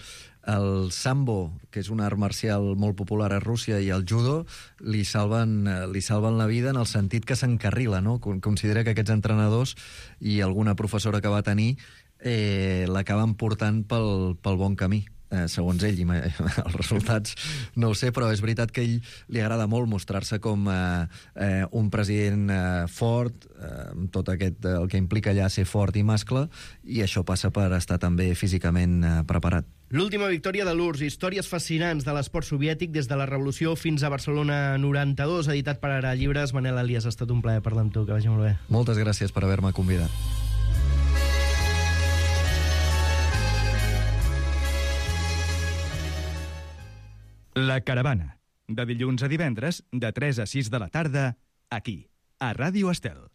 el sambo, que és un art marcial molt popular a Rússia, i el judo li salven, li salven la vida en el sentit que s'encarrila, no? Considera que aquests entrenadors i alguna professora que va tenir eh, l'acaben portant pel, pel bon camí. eh, segons ell, i els resultats no ho sé, però és veritat que a ell li agrada molt mostrar-se com eh, eh, un president eh, fort, eh, amb tot aquest, el que implica allà ser fort i mascle, i això passa per estar també físicament eh, preparat. L'última victòria de l'U R S S, històries fascinants de l'esport soviètic des de la Revolució fins a Barcelona noranta-dos, editat per Ara Llibres. Manel Elias, ha estat un plaer parlar amb tu, que vagi molt bé. Moltes gràcies per haver-me convidat. La Caravana, de dilluns a divendres, de tres a sis de la tarda, aquí, a Ràdio Estel.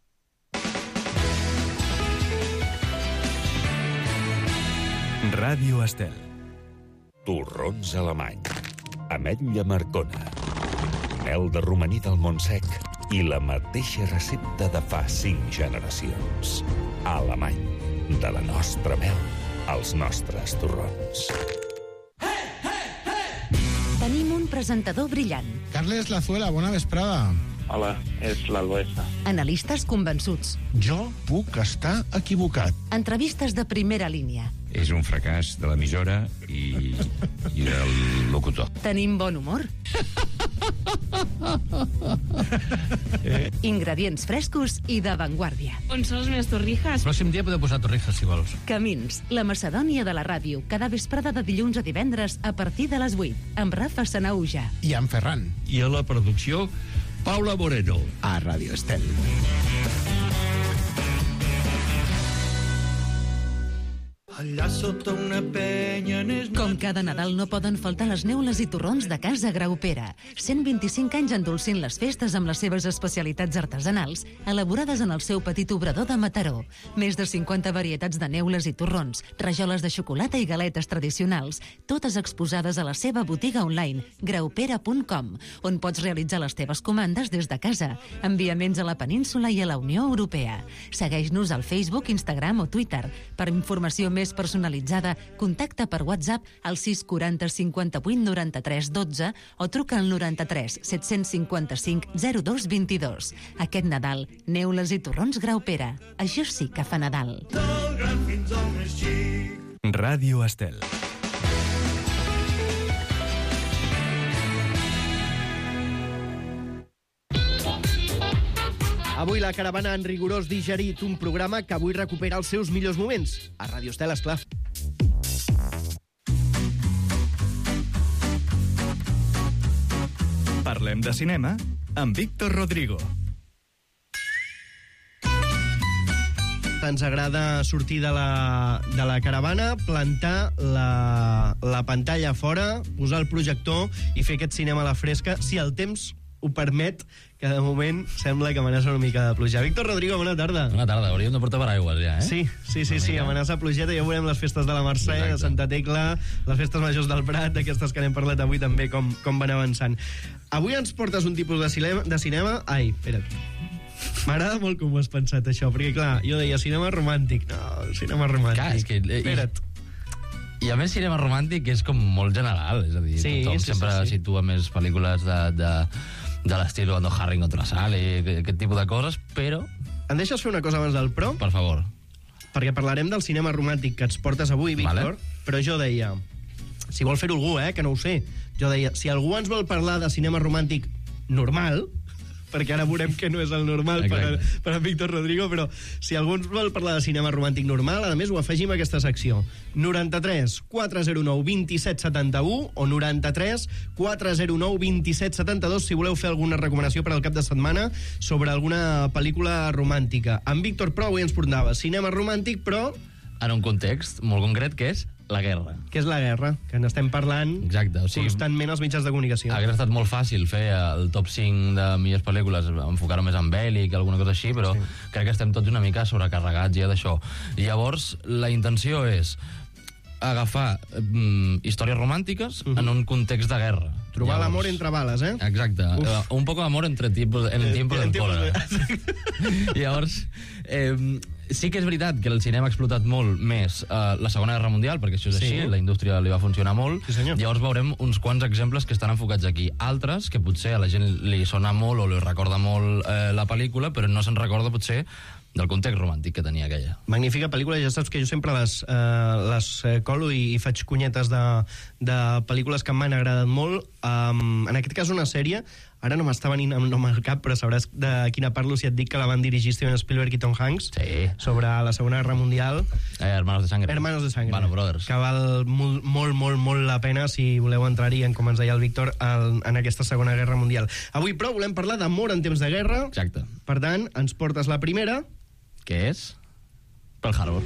Ràdio Estel. Torrons alemany, ametlla marcona, mel de romaní del Montsec i la mateixa recepta de fa cinc generacions. Alemany, de la nostra mel als nostres torrons. Tenim un presentador brillant. Carles Lazuela, bona vesprada. Hola, és l'Albuesa. Analistes convençuts. Jo puc estar equivocat. Entrevistes de primera línia. És un fracàs de l'emissora i, i del locutor. Tenim bon humor. Ingredients frescos i d'avantguàrdia. On són les meves torrijas? El pròxim dia podeu posar torrijas, si vols. Camins, la Macedònia de la ràdio, cada vesprada de dilluns a divendres a partir de les vuit, amb Rafa Sanauja. I amb Ferran. I a la producció, Paula Moreno. A Ràdio Estel. Allà sota una penya... Com cada Nadal no poden faltar les neules i torrons de Casa Graupera. cent vint-i-cinc anys endolcint les festes amb les seves especialitats artesanals, elaborades en el seu petit obrador de Mataró. Més de cinquanta varietats de neules i torrons, rajoles de xocolata i galetes tradicionals, totes exposades a la seva botiga online, graupera punt com, on pots realitzar les teves comandes des de casa. Enviaments a la península i a la Unió Europea. Segueix-nos al Facebook, Instagram o Twitter. Per informació més personalitzada, contacta per WhatsApp al sis quaranta cinquanta-vuit noranta-tres dotze o truca al noranta-tres set-cents cinquanta-cinc zero dos vint-i-dos. Aquest Nadal, neules i torrons Graupera. Això sí que fa Nadal. Ràdio Estel. Avui la caravana en rigorós digerit, un programa que avui recupera els seus millors moments. A Ràdio Estel, esclar. Parlem de cinema amb Víctor Rodrigo. Ens agrada sortir de la, de la caravana, plantar la, la pantalla fora, posar el projector i fer aquest cinema a la fresca, si el temps ho permet, que de moment sembla que amenaça una mica de pluja. Víctor Rodrigo, bona tarda. Bona tarda, hauríem de portar paraigües ja, eh? Sí, sí, sí, sí, amenaça plugeta. Ja veurem les festes de la Mercè, de Santa Tecla, les festes majors del Prat, d'aquestes que n'hem parlat avui també, com, com van avançant. Avui ens portes un tipus de cinema... De cinema... Ai, espera't. M'agrada molt com ho has pensat, això, perquè, clar, jo deia cinema romàntic. No, cinema romàntic. Clar, és que... Espera't. I a més, cinema romàntic és com molt general, és a dir, sí, tothom sí, sempre sí, sí. situa més pel·lícules de, de, de l'estil cuando Harry encontró a Sally, aquest tipus de coses, però... Em deixes fer una cosa abans del pro? Per favor. Perquè parlarem del cinema romàntic que ens portes avui, Víctor, vale. Però jo deia, si vol fer-ho algú, eh, que no ho sé, jo deia, si algú ens vol parlar de cinema romàntic normal, perquè ara veurem que no és el normal per a, per a Víctor Rodrigo, però si algú ens vol parlar de cinema romàntic normal, a més ho afegim a aquesta secció. noranta-tres quatre zero nou vint-i-set setanta-u o noranta-tres quatre zero nou vint-i-set setanta-dos si voleu fer alguna recomanació per al cap de setmana sobre alguna pel·lícula romàntica. En Víctor, però, avui ens portava cinema romàntic, però... En un context molt concret, que és la guerra. Què és la guerra? Que n'estem parlant Exacte, o sigui, constantment als mitjans de comunicació. Hauria estat molt fàcil fer el top cinc de millors pel·lícules, enfocar-ho més en bèl·lic, alguna cosa així, però sí. Crec que estem tots una mica sobrecarregats ja d'això. I llavors, la intenció és agafar mm, històries romàntiques uh-huh. en un context de guerra. Trobar llavors, l'amor entre bales, eh? Exacte. Uh, un poco de amor entre tipos, en el tiempo del cólera. Llavors, eh, sí que és veritat que el cinema ha explotat molt més uh, la Segona Guerra Mundial, perquè això és sí. així, la indústria li va funcionar molt. Sí, llavors veurem uns quants exemples que estan enfocats aquí. Altres, que potser a la gent li sona molt o li recorda molt eh, la pel·lícula, però no se'n recorda potser del context romàntic que tenia aquella. Magnífica pel·lícula, ja saps que jo sempre les, eh, les eh, colo i, i faig cunyetes de, de pel·lícules que m'han agradat molt. Um, en aquest cas una sèrie, ara no m'està venint el nom al cap, però sabràs de quina parlo si et dic que la van dirigir Steven Spielberg i Tom Hanks, sí. sobre la Segona Guerra Mundial. Eh, Hermanos de Sangre. Hermanos de Sangre. Bueno, Brothers. Que val molt, molt, molt, molt la pena si voleu entrar-hi, en, com ens deia el Víctor, el, en aquesta Segona Guerra Mundial. Avui, però, volem parlar d'amor en temps de guerra. Exacte. Per tant, ens portes la primera. Què és? Pearl Harbor.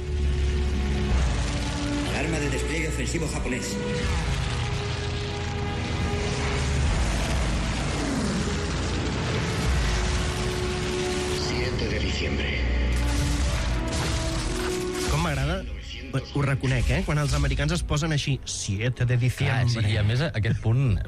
Alarma de despliegue ofensivo japonés. siete de diciembre. Com m'agrada, ho reconec, eh? Quan els americans es posen així, siete de diciembre. Ah, sí, i a més aquest punt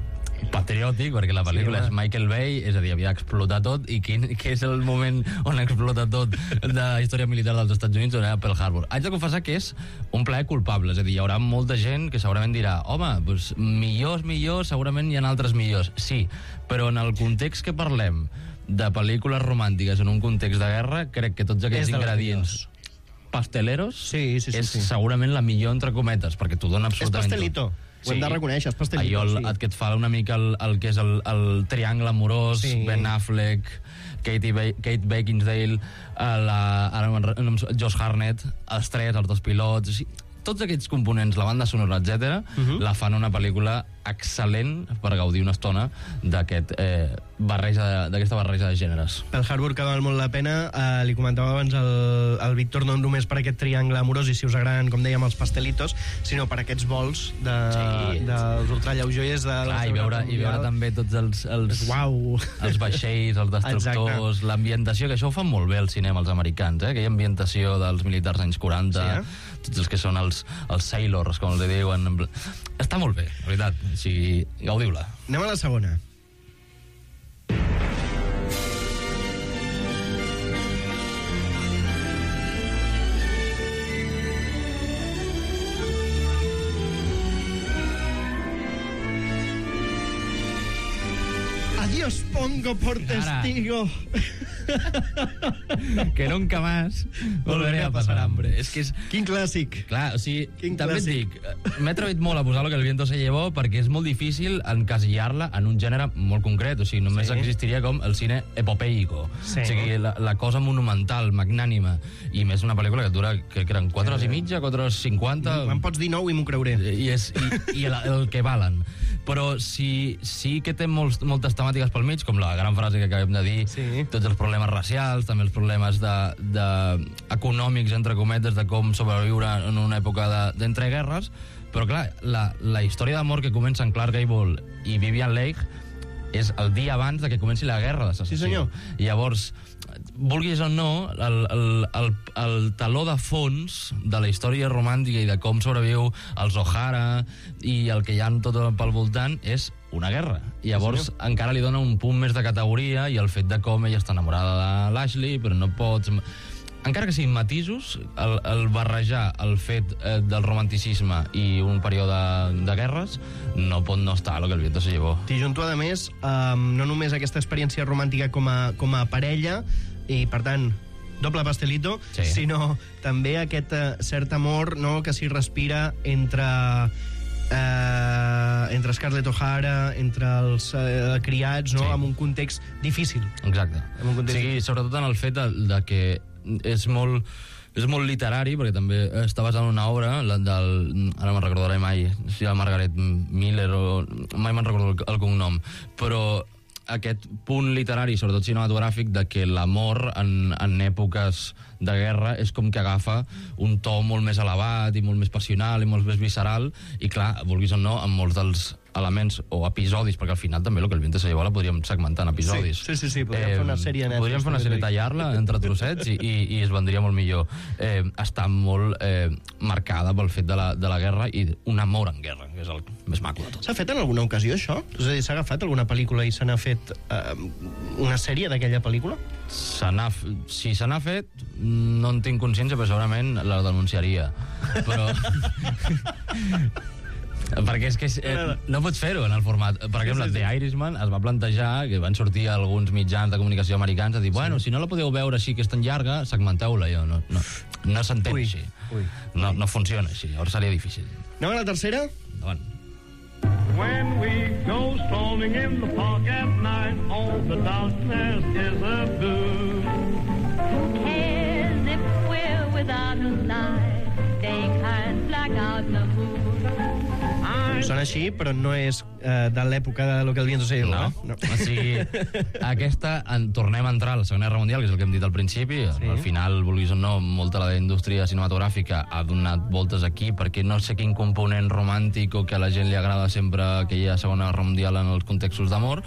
patriòtic, perquè la pel·lícula sí, és Michael Bay, és a dir, havia explotat tot, i quin, què és el moment on explota tot de la història militar dels Estats Units, on era Pearl Harbor. Haig de confessar que és un plaer culpable, és a dir, hi haurà molta gent que segurament dirà, home, doncs, millors, millors, segurament hi ha altres millors. Sí, però en el context que parlem de pel·lícules romàntiques en un context de guerra, crec que tots aquests ingredients pasteleros sí, sí, sí, és sí. segurament la millor entre cometes, perquè t'ho dona absolutament és pastelito. tot. Ho hem de reconèixer, és pastelito. Allò el, sí. que et fa una mica el, el que és el, el triangle amorós, sí. Ben Affleck, Katie ba Kate Beckinsale, la, ara, Josh Hartnett, els tres, els dos pilots... O sigui, tots aquests components, la banda sonora, etcètera, uh-huh. la fan una pel·lícula excel·lent per gaudir una estona d'aquest eh, barreja, d'aquesta barreja de gèneres. Pearl Harbor, que val molt la pena. Eh, li comentava abans el, el Víctor, no només per aquest triangle amorós i si us agraden, com dèiem, els pastelitos, sinó per aquests vols de, sí. dels ultralleujoiers de la Clar, i veure, i veure també tots els, els, Uau. els vaixells, els destructors, l'ambientació, que això ho fan molt bé el cinema, els americans, eh? Aquella ambientació dels militars anys quaranta, sí, eh? Tots els que són els, els sailors, com els diuen. Està molt bé, la veritat. O sigui, gaudiu-la. Anem a la segona. Adiós pongo por testigo. Que nunca más volveré a pasar hambre. És que és... Quin clàssic. Clar, o sigui, Quin també clàssic. et dic, m'he atrevit molt a posar lo que el viento se llevó perquè és molt difícil encasillar-la en un gènere molt concret, o sigui, només sí. existiria com el cine epopeico, sí. o sigui, la, la cosa monumental, magnànima, i més una pel·lícula que dura, que eren quatre hores i mitja, quatre hores cinquanta... Em pots dir nou i m'ho creuré. I, és, i, i el, el que valen. Però sí, sí que té molts, moltes temàtiques pel mig, com la gran frase que acabem de dir, sí. tots els problemes racials, també els problemes de, de econòmics, entre cometes, de com sobreviure en una època d'entreguerres, però clar, la, la història d'amor que comença en Clark Gable i Vivian Leigh és el dia abans de que comenci la guerra de secessió. Sí, senyor. I llavors, vulguis o no, el, el, el, el taló de fons de la història romàntica i de com sobreviu els O'Hara i el que hi ha tot pel voltant és una guerra. I llavors sí, encara li dona un punt més de categoria i el fet de com ella està enamorada de l'Ashley, però no pots... Encara que siguin matisos, el, el barrejar el fet eh, del romanticisme i un període de, de guerres no pot no estar a lo que el viento se llevó. T'hi junto, a més, um, no només aquesta experiència romàntica com a, com a parella, i per tant, doble pastelito, sí. sinó també aquest uh, cert amor, no?, que s'hi respira entre... Uh, entre Scarlett O'Hara, entre els uh, criats, no? Sí. En un context difícil. Exacte. En un context sí, difícil. Sobretot en el fet de, de que és molt, és molt literari, perquè també està basat en una obra, la del, ara me'n recordaré mai, si la Margaret Miller, o mai me'n recordo el, el cognom, però aquest punt literari, sobretot cinematogràfic, de que l'amor en, en èpoques de guerra és com que agafa un to molt més elevat i molt més passional i molt més visceral, i clar, vulguis o no, amb molts dels elements o episodis, perquè al final també el que el viento se llevó la podríem segmentar en episodis. Sí, sí, sí, podríem eh, fer una sèrie Netflix. Podríem fer una sèrie, tallar-la entre trossets i, i, i es vendria molt millor. Eh, està molt eh, marcada pel fet de la, de la guerra i un amor en guerra, que és el més maco de tot. S'ha fet en alguna ocasió, això? És a dir, s'ha agafat alguna pel·lícula i se n'ha fet eh, una sèrie d'aquella pel·lícula? Se si se n'ha fet, no en tinc consciència, però segurament la denunciaria. Però... Perquè és que eh, no pots fer-ho en el format. Per exemple, sí, sí, sí. The Irishman es va plantejar, que van sortir alguns mitjans de comunicació americans a dir, bueno, sí. si no la podeu veure així, que és tan llarga, segmenteu-la. Jo, no, no, no s'entén ui, així. Ui. No, no funciona així, llavors seria difícil. Anem a la tercera? Endavant. When we go strolling in the park at night, all the darkness is a blue. As if we're without a light, they can't black out the moon. Sona així, però no és eh, de l'època de Lo que el viento se llevó. No, no. O sigui, aquesta, en, tornem a entrar a la Segona Guerra Mundial, que és el que hem dit al principi. Sí. Al final, vulguis o no, molta de la indústria cinematogràfica ha donat voltes aquí, perquè no sé quin component romàntic o que a la gent li agrada sempre aquella Segona Guerra Mundial en els contextos d'amor.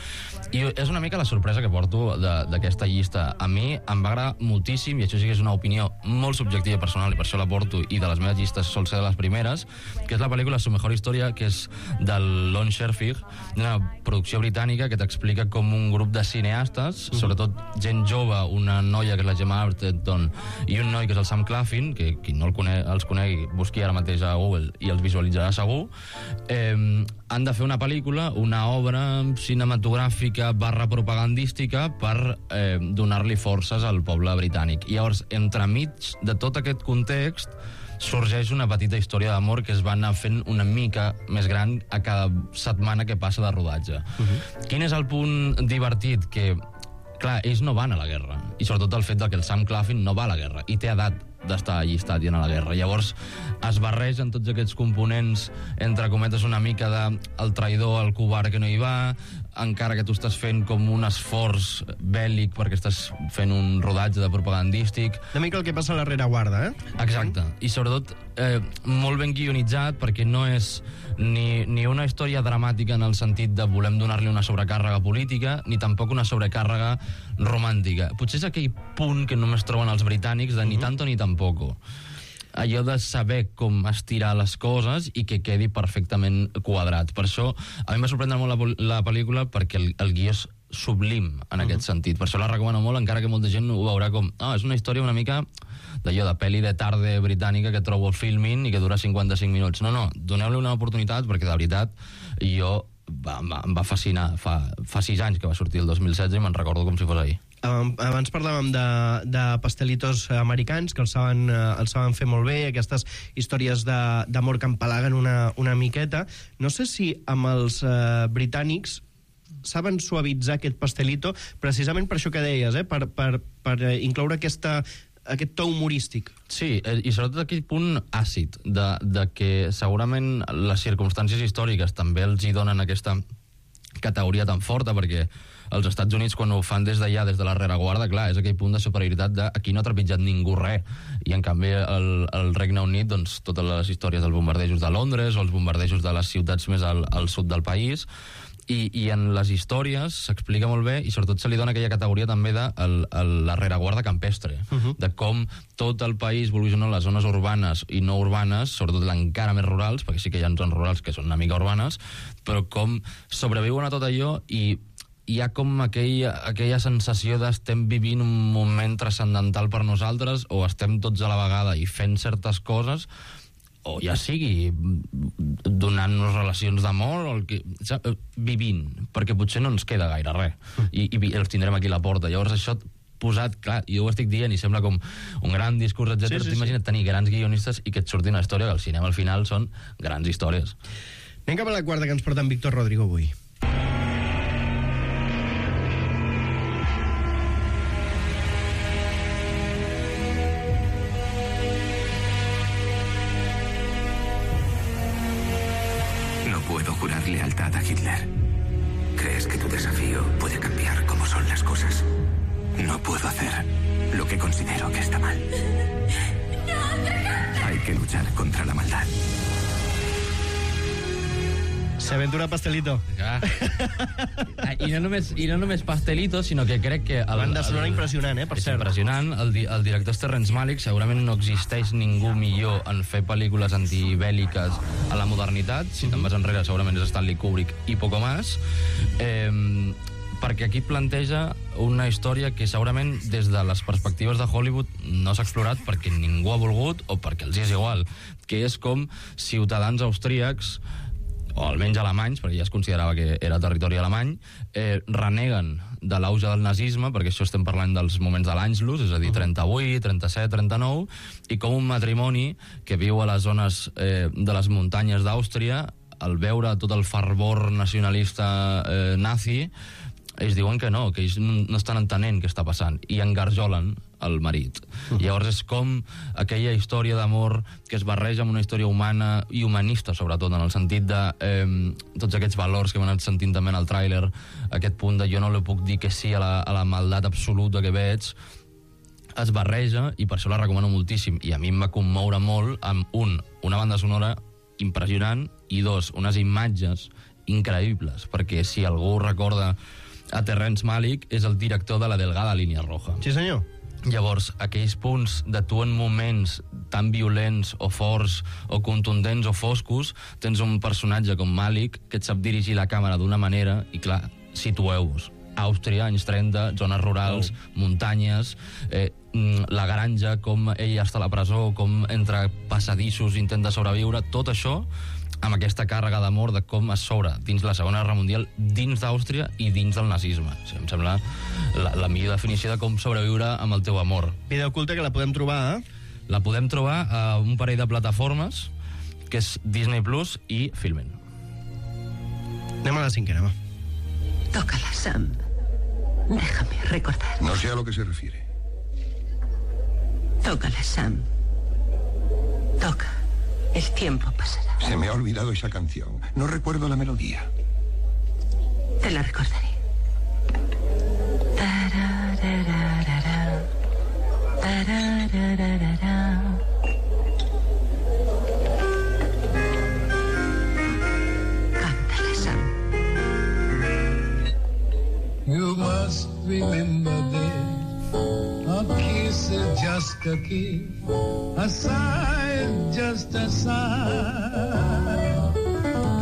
I és una mica la sorpresa que porto d'aquesta llista. A mi em va agradar moltíssim, i això sí que és una opinió molt subjectiva i personal, i per això la porto, i de les meves llistes sol ser de les primeres, que és la pel·lícula Su mejor historia, que és del Lon Scherfig, una producció britànica que t'explica com un grup de cineastes, uh-huh. sobretot gent jove, una noia que és la Gemma Arterton i un noi que és el Sam Claflin, que qui no el cone els conegui, busqui ara mateix a Google i els visualitzarà segur, eh, han de fer una pel·lícula, una obra cinematogràfica barra propagandística per eh, donar-li forces al poble britànic. I llavors, entremig de tot aquest context, sorgeix una petita història d'amor que es va anar fent una mica més gran a cada setmana que passa de rodatge. Uh-huh. Quin és el punt divertit? Que, clar, ells no van a la guerra, i sobretot el fet de que el Sam Claflin no va a la guerra, i té edat d'estar allistat i anar a la guerra. Llavors es barregen tots aquests components, entre cometes, una mica de el traïdor, el covard que no hi va, encara que tu estàs fent com un esforç bèl·lic perquè estàs fent un rodatge de propagandístic. Una mica el que passa a la rereguarda, eh? Exacte. I sobretot eh, molt ben guionitzat, perquè no és ni, ni una història dramàtica en el sentit de volem donar-li una sobrecàrrega política, ni tampoc una sobrecàrrega romàntica. Potser és aquell punt que només troben els britànics de ni tanto ni tampoco. Allò de saber com estirar les coses i que quedi perfectament quadrat. Per això, a mi m'ha sorprendre molt la, la pel·lícula, perquè el, el guió és sublim en uh-huh. aquest sentit. Per això la recomano molt, encara que molta gent ho veurà com ah, és una història una mica d'allò de pel·li de tarde britànica que trobo al Filmin i que dura cinquanta-cinc minuts. No, no, doneu-li una oportunitat, perquè de veritat jo va, va, em va fascinar. Fa, fa sis anys que va sortir el dos mil setze i me'n recordo com si fos ahir. Abans parlàvem de, de pastelitos americans, que els saben, els saben fer molt bé, aquestes històries d'amor que empalaguen una, una miqueta. No sé si amb els eh, britànics saben suavitzar aquest pastelito, precisament per això que deies, eh? per, per, per incloure aquesta, aquest to humorístic. Sí, i sobretot aquell punt àcid, de, de que segurament les circumstàncies històriques també els hi donen aquesta categoria tan forta, perquè els Estats Units, quan ho fan des d'allà, des de la rereguarda, clar, és aquell punt de superioritat de aquí no ha trepitjat ningú res, i en canvi el, el Regne Unit, doncs totes les històries dels bombardejos de Londres o els bombardejos de les ciutats més al, al sud del país, i, i en les històries s'explica molt bé, i sobretot se li dona aquella categoria també de el, el, la rereguarda campestre, uh-huh. de com tot el país, vulguis o no, les zones urbanes i no urbanes, sobretot encara més rurals, perquè sí que hi ha zones rurals que són una mica urbanes, però com sobreviuen a tot allò, i hi ha com aquella, aquella sensació d'estem vivint un moment transcendental per nosaltres, o estem tots a la vegada i fent certes coses, o ja sigui donant-nos relacions d'amor, o el que, vivint, perquè potser no ens queda gaire res, i, i els tindrem aquí a la porta. Llavors això posat, clar, jo ho estic dient i sembla com un gran discurs, etcètera. Sí, sí, T'imagina't sí. tenir grans guionistes i que et surti una història, que al cinema al final són grans històries. Anem cap a la quarta, que ens porta en Víctor Rodrigo avui. Puedo jurar lealtad a Hitler. ¿Crees que tu desafío puede cambiar cómo son las cosas? No puedo hacer lo que considero que está mal. Hay que luchar contra la maldad. Se aventura pastelito. Ja. I, no només, I no només pastelito, sinó que crec que... El, banda sonora impressionant, eh, per és cert. impressionant. El, el director és Terrence Malick. Segurament no existeix ningú millor en fer pel·lícules antibèl·liques a la modernitat. Si te'n vas enrere, segurament és Stanley Kubrick i poco más. Eh, perquè aquí planteja una història que segurament des de les perspectives de Hollywood no s'ha explorat perquè ningú ha volgut o perquè els és igual, que és com ciutadans austríacs o almenys alemanys, perquè ja es considerava que era territori alemany, eh, reneguen de l'auge del nazisme, perquè això estem parlant dels moments de l'Anschluss, és a dir, trenta-vuit, trenta-set, trenta-nou, i com un matrimoni que viu a les zones eh, de les muntanyes d'Àustria, al veure tot el fervor nacionalista eh, nazi, ells diuen que no, que ells no estan entenent què està passant, i engarjolen el marit. Uh-huh. Llavors és com aquella història d'amor que es barreja amb una història humana i humanista, sobretot, en el sentit de eh, tots aquests valors que hem anat sentint també en el tràiler, aquest punt de jo no li puc dir que sí a la, a la maldat absoluta que veig, es barreja, i per això la recomano moltíssim, i a mi em va commoure molt amb, un, una banda sonora impressionant, i dos, unes imatges increïbles, perquè si algú recorda a Terrence Malick, és el director de La delgada línia roja. Sí, senyor. Llavors, aquells punts de tu en moments tan violents o forts o contundents o foscos, tens un personatge com Malick que et sap dirigir la càmera d'una manera, i clar, situeu-vos. Àustria, anys trenta, zones rurals, oh. muntanyes, eh, la granja, com ella està a la presó, com entre passadissos intenta sobreviure, tot això amb aquesta càrrega d'amor de com es s'obre dins la Segona Guerra Mundial, dins d'Àustria i dins del nazisme. O sigui, em sembla la, la millor definició de com sobreviure amb el teu amor. Vida oculta, que la podem trobar, eh? La podem trobar a un parell de plataformes, que és Disney Plus i Filmin. Anem a la cinquena, va. Tócala, Sam. Déjame recordar. No sé a lo que se refiere. Tócala, Sam. Toca. El tiempo pasará. Se me ha olvidado esa canción. No recuerdo la melodía. Te la recordaré. Tararararara. Tararararara. Cántala, Sam. You must remember this. A kiss is just a kiss. A sigh is just a sigh.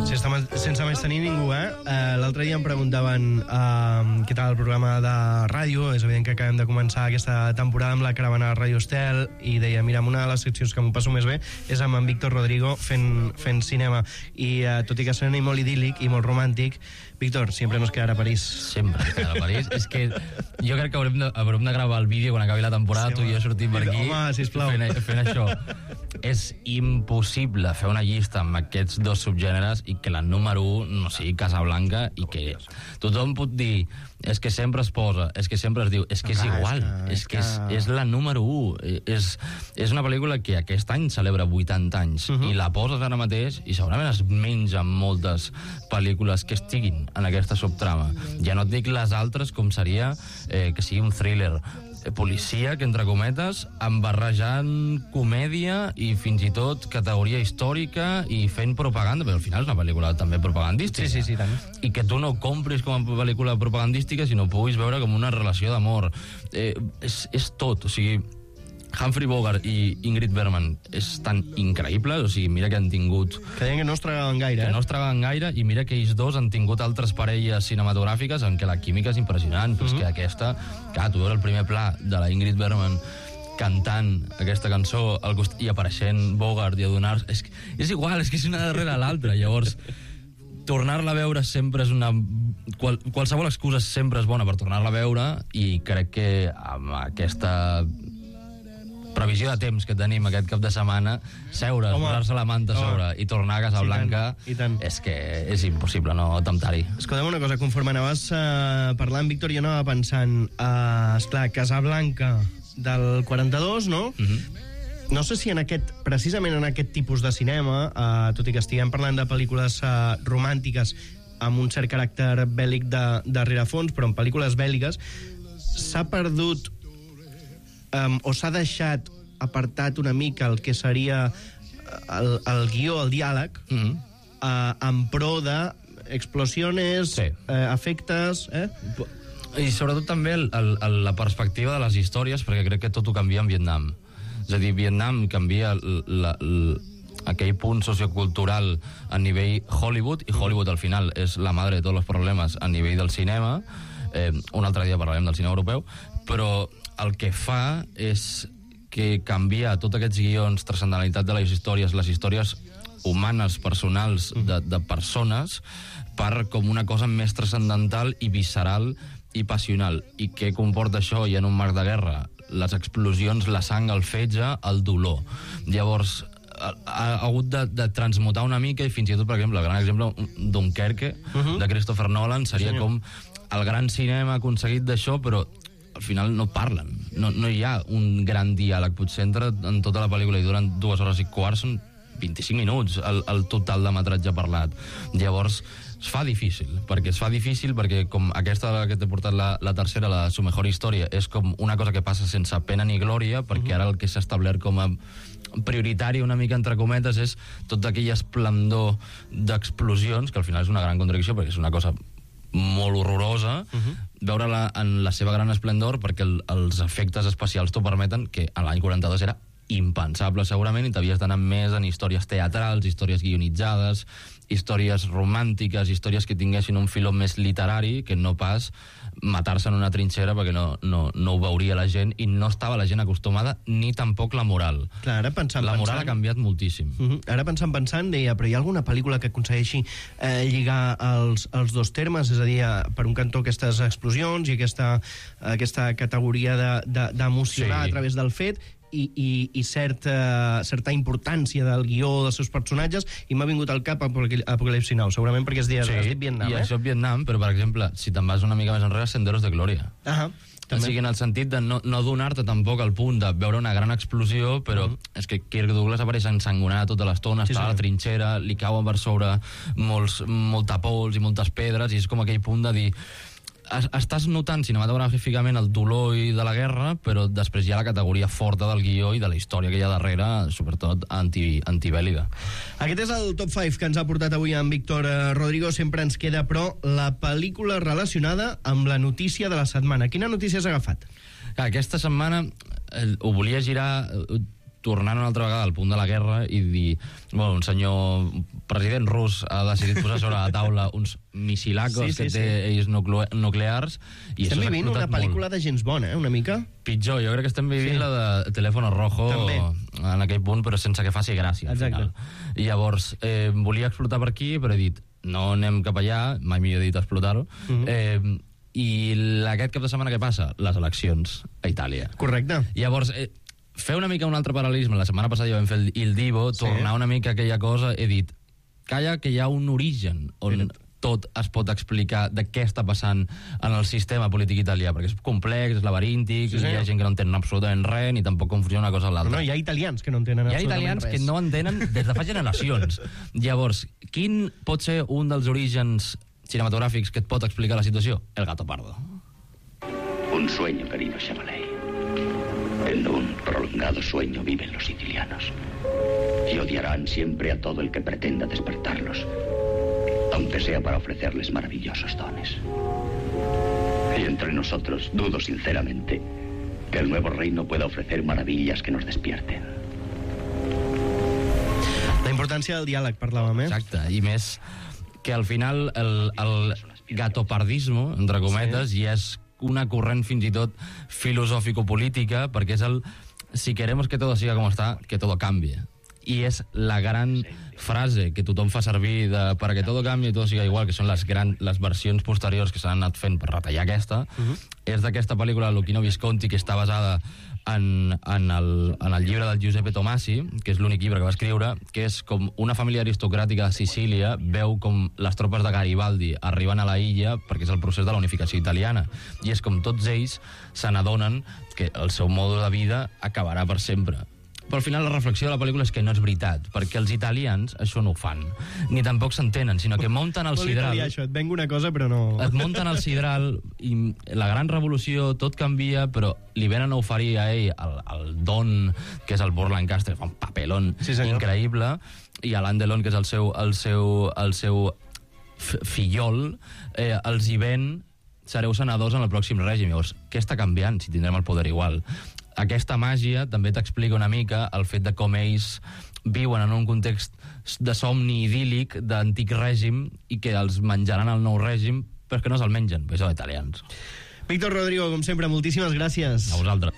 Si està, sense més tenir ningú, eh? Uh, L'altre dia em preguntaven uh, què tal el programa de ràdio. És evident que acabem de començar aquesta temporada amb la caravana de Ràdio Estel, i deia, mira, una de les seccions que m'ho passo més bé és amb en Víctor Rodrigo fent, fent cinema. I uh, tot i que sona molt idíl·lic i molt romàntic, Víctor, sempre nos quedarà a París. Sempre nos quedarà a París. És que jo crec que haurem de, haurem de gravar el vídeo quan acabi la temporada, sí, tu i jo sortim per aquí. Home, sisplau. Fent, fent això. És impossible fer una llista amb aquests dos subgèneres i que la número un no sigui Casablanca, i que tothom pot dir és que sempre es posa, és que sempre es diu, és que és igual, és que és, és la número un. És, és una pel·lícula que aquest any celebra vuitanta anys, uh-huh. i la poses ara mateix i segurament es menja moltes pel·lícules que estiguin en aquesta subtrama. Ja no et dic les altres, com seria eh, que sigui un thriller policia, que entre cometes, embarrejant comèdia i fins i tot categoria històrica i fent propaganda, però al final és una pel·lícula també propagandística. Sí, sí, sí, tant. I que tu no compris com a pel·lícula propagandística, sinó puguis veure com una relació d'amor. Eh, és, és tot, o sigui, Humphrey Bogart i Ingrid Bergman és tan increïble, o sigui, mira que han tingut... Que deien que no es tragaven gaire, que eh? no es tragaven gaire, i mira que ells dos han tingut altres parelles cinematogràfiques en què la química és impressionant, però uh-huh. és que aquesta... Clar, tu veus el primer pla de la Ingrid Bergman cantant aquesta cançó al cost... i apareixent Bogart i adonar... És, és igual, és que és una darrere l'altra, llavors... Tornar-la a veure sempre és una... Qual, qualsevol excusa sempre és bona per tornar-la a veure, i crec que amb aquesta previsió de temps que tenim aquest cap de setmana, seure, posar-se la manta a sobre i tornar a Casablanca, sí, tant, és que és impossible no temptar-hi. Escolta'm una cosa, conforme anaves uh, parlant, Víctor, jo anava pensant, uh, esclar, Casablanca del quaranta-dos, no? Uh-huh. No sé si en aquest, precisament en aquest tipus de cinema, uh, tot i que estiguem parlant de pel·lícules uh, romàntiques amb un cert caràcter bèl·lic de, de rerefons, però en pel·lícules bèl·liques, s'ha perdut um, o s'ha deixat apartat una mica el que seria el, el guió, el diàleg, mm-hmm. uh, en pro d'explosiones, sí. uh, efectes... Eh? I sobretot també el, el, el, la perspectiva de les històries, perquè crec que tot ho canvia en Vietnam. És a dir, Vietnam canvia la, la, aquell punt sociocultural a nivell Hollywood, i Hollywood al final és la madre de tots els problemes a nivell del cinema. Eh, un altre dia parlarem del cinema europeu, però el que fa és que canvia tots aquests guions, transcendentalitat de les històries, les històries humanes, personals, de, de persones, per com una cosa més transcendental i visceral i passional. I què comporta això i en un marc de guerra? Les explosions, la sang, el fetge, el dolor. Llavors, ha, ha hagut de, de transmutar una mica, i fins i tot, per exemple, el gran exemple, Dunkerque, uh-huh. de Christopher Nolan, seria sí, com el gran cinema aconseguit d'això, però al final no parlen. No, no hi ha un gran diàleg. Potser entra en tota la pel·lícula i duren dues hores i quart, són vint-i-cinc minuts el, el total de metratge parlat. Llavors, es fa difícil, perquè es fa difícil perquè com aquesta que t'he portat la, la tercera, la Su mejor història, és com una cosa que passa sense pena ni glòria, perquè uh-huh. ara el que s'ha establert com a prioritari, una mica entre cometes, és tot aquell esplendor d'explosions, que al final és una gran contradicció, perquè és una cosa molt horrorosa, uh-huh. veure-la en la seva gran esplendor, perquè el, els efectes especials t'ho permeten, que a l'any quaranta-dos era impensable segurament, i t'havies d'anar més en històries teatrals, històries guionitzades, històries romàntiques, històries que tinguessin un filó més literari, que no pas matar-se en una trinxera, perquè no, no, no ho veuria la gent, i no estava la gent acostumada, ni tampoc la moral. Clar, ara pensant, la moral pensant... ha canviat moltíssim. Uh-huh. Ara pensant, pensant, deia, però hi ha alguna pel·lícula que aconsegueixi eh, lligar els, els dos termes, és a dir, per un cantó aquestes explosions i aquesta, aquesta categoria d'emocionar de, de, sí. a través del fet, i, i, i certa, certa importància del guió dels seus personatges, i m'ha vingut al cap Apocalipsi Now, segurament perquè es diu, sí, es diu Vietnam, i eh? això és Vietnam, però, per exemple, si te'n vas una mica més enrere, Senderos de Glòria. Ahà. O sigui, en el sentit de no, no donar-te tampoc al punt de veure una gran explosió, però uh-huh. és que Kirk Douglas apareix ensangonat tota l'estona, sí, està sí. a la trinxera, li cauen per sobre molts, molta pols i moltes pedres, i és com aquell punt de dir... Estàs notant cinematogràficament el dolor i de la guerra, però després hi ha la categoria forta del guió i de la història que hi ha darrere, sobretot anti, antibèl·lica. Aquest és el top cinc que ens ha portat avui en Víctor Rodrigo. Sempre ens queda, però, la pel·lícula relacionada amb la notícia de la setmana. Quina notícia has agafat? Aquesta setmana eh, ho volia girar... tornant una altra vegada al punt de la guerra i dir, bueno, un senyor president rus ha decidit posar sobre la taula uns missilacos sí, sí, que té sí. ells nuclears, i estem vivint una pel·lícula molt. De James Bond, eh, una mica? Pitjor, jo crec que estem vivint sí. la de Teléfono Rojo també. En aquell punt, però sense que faci gràcia al final. I llavors, eh, volia explotar per aquí, però he dit, no anem cap allà, mai millor dit explotar-ho, uh-huh. eh, i aquest cap de setmana què passa? Les eleccions a Itàlia. Correcte. Llavors, eh, fer una mica un altre paral·lelisme. La setmana passada ja vam fer el, el Divo, sí. tornar una mica a aquella cosa, he dit, calla que hi ha un origen on sí. tot es pot explicar de què està passant en el sistema polític italià, perquè és complex, és laberíntic, sí, sí. hi ha gent que no entenen absolutament res, ni tampoc confusiona una cosa amb l'altra. No, hi ha italians que no entenen hi ha absolutament italians res. que no entenen des de fa generacions. Llavors, quin pot ser un dels orígens cinematogràfics que et pot explicar la situació? El Gato Pardo. Un sueño, querido Chevalier. En un prolongado sueño viven los sicilianos y odiarán siempre a todo el que pretenda despertarlos, aunque sea para ofrecerles maravillosos dones. Y entre nosotros dudo sinceramente que el nuevo reino pueda ofrecer maravillas que nos despierten. La importància del diàleg, parlàvem, eh? Exacte, i més que al final el, el gatopardismo, entre cometes, sí. i és una corrent fins i tot filosòfico-política, perquè és el si queremos que todo siga como está, que todo cambie. I és la gran frase que tothom fa servir de, para que todo cambie i todo siga igual, que són les, gran, les versions posteriors que s'han anat fent per retallar aquesta, uh-huh. és d'aquesta pel·lícula Luchino Visconti, que està basada en, en, el, en el llibre del Giuseppe Tomasi, que és l'únic llibre que va escriure, que és com una família aristocràtica de Sicília veu com les tropes de Garibaldi arriben a la illa perquè és el procés de la unificació italiana, i és com tots ells se n'adonen que el seu mode de vida acabarà per sempre. Però al final la reflexió de la pel·lícula és que no és veritat, perquè els italians això no ho fan, ni tampoc s'entenen, sinó que munten el sidral... Això, et vengo una cosa, però no... Et munten el sidral, i la gran revolució, tot canvia, però li venen a oferir a ell el, el Don, que és el Burt Lancaster, fa un papelón sí, increïble, i a l'Andelon, que és el seu, el seu, el seu fillol, eh, els hi ven, sereu senadors en el pròxim règim. Llavors, què està canviant si tindrem el poder igual? Aquesta màgia també t'explica una mica el fet de com ells viuen en un context de somni idíl·lic d'antic règim i que els menjaran al nou règim, però que no se'l mengen, perquè són italians. Víctor Rodrigo, com sempre, moltíssimes gràcies. A vosaltres.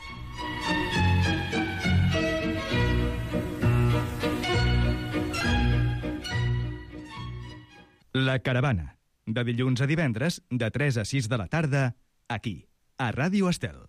La Caravana, de dilluns a divendres, de tres a sis de la tarda, aquí, a Ràdio Estel.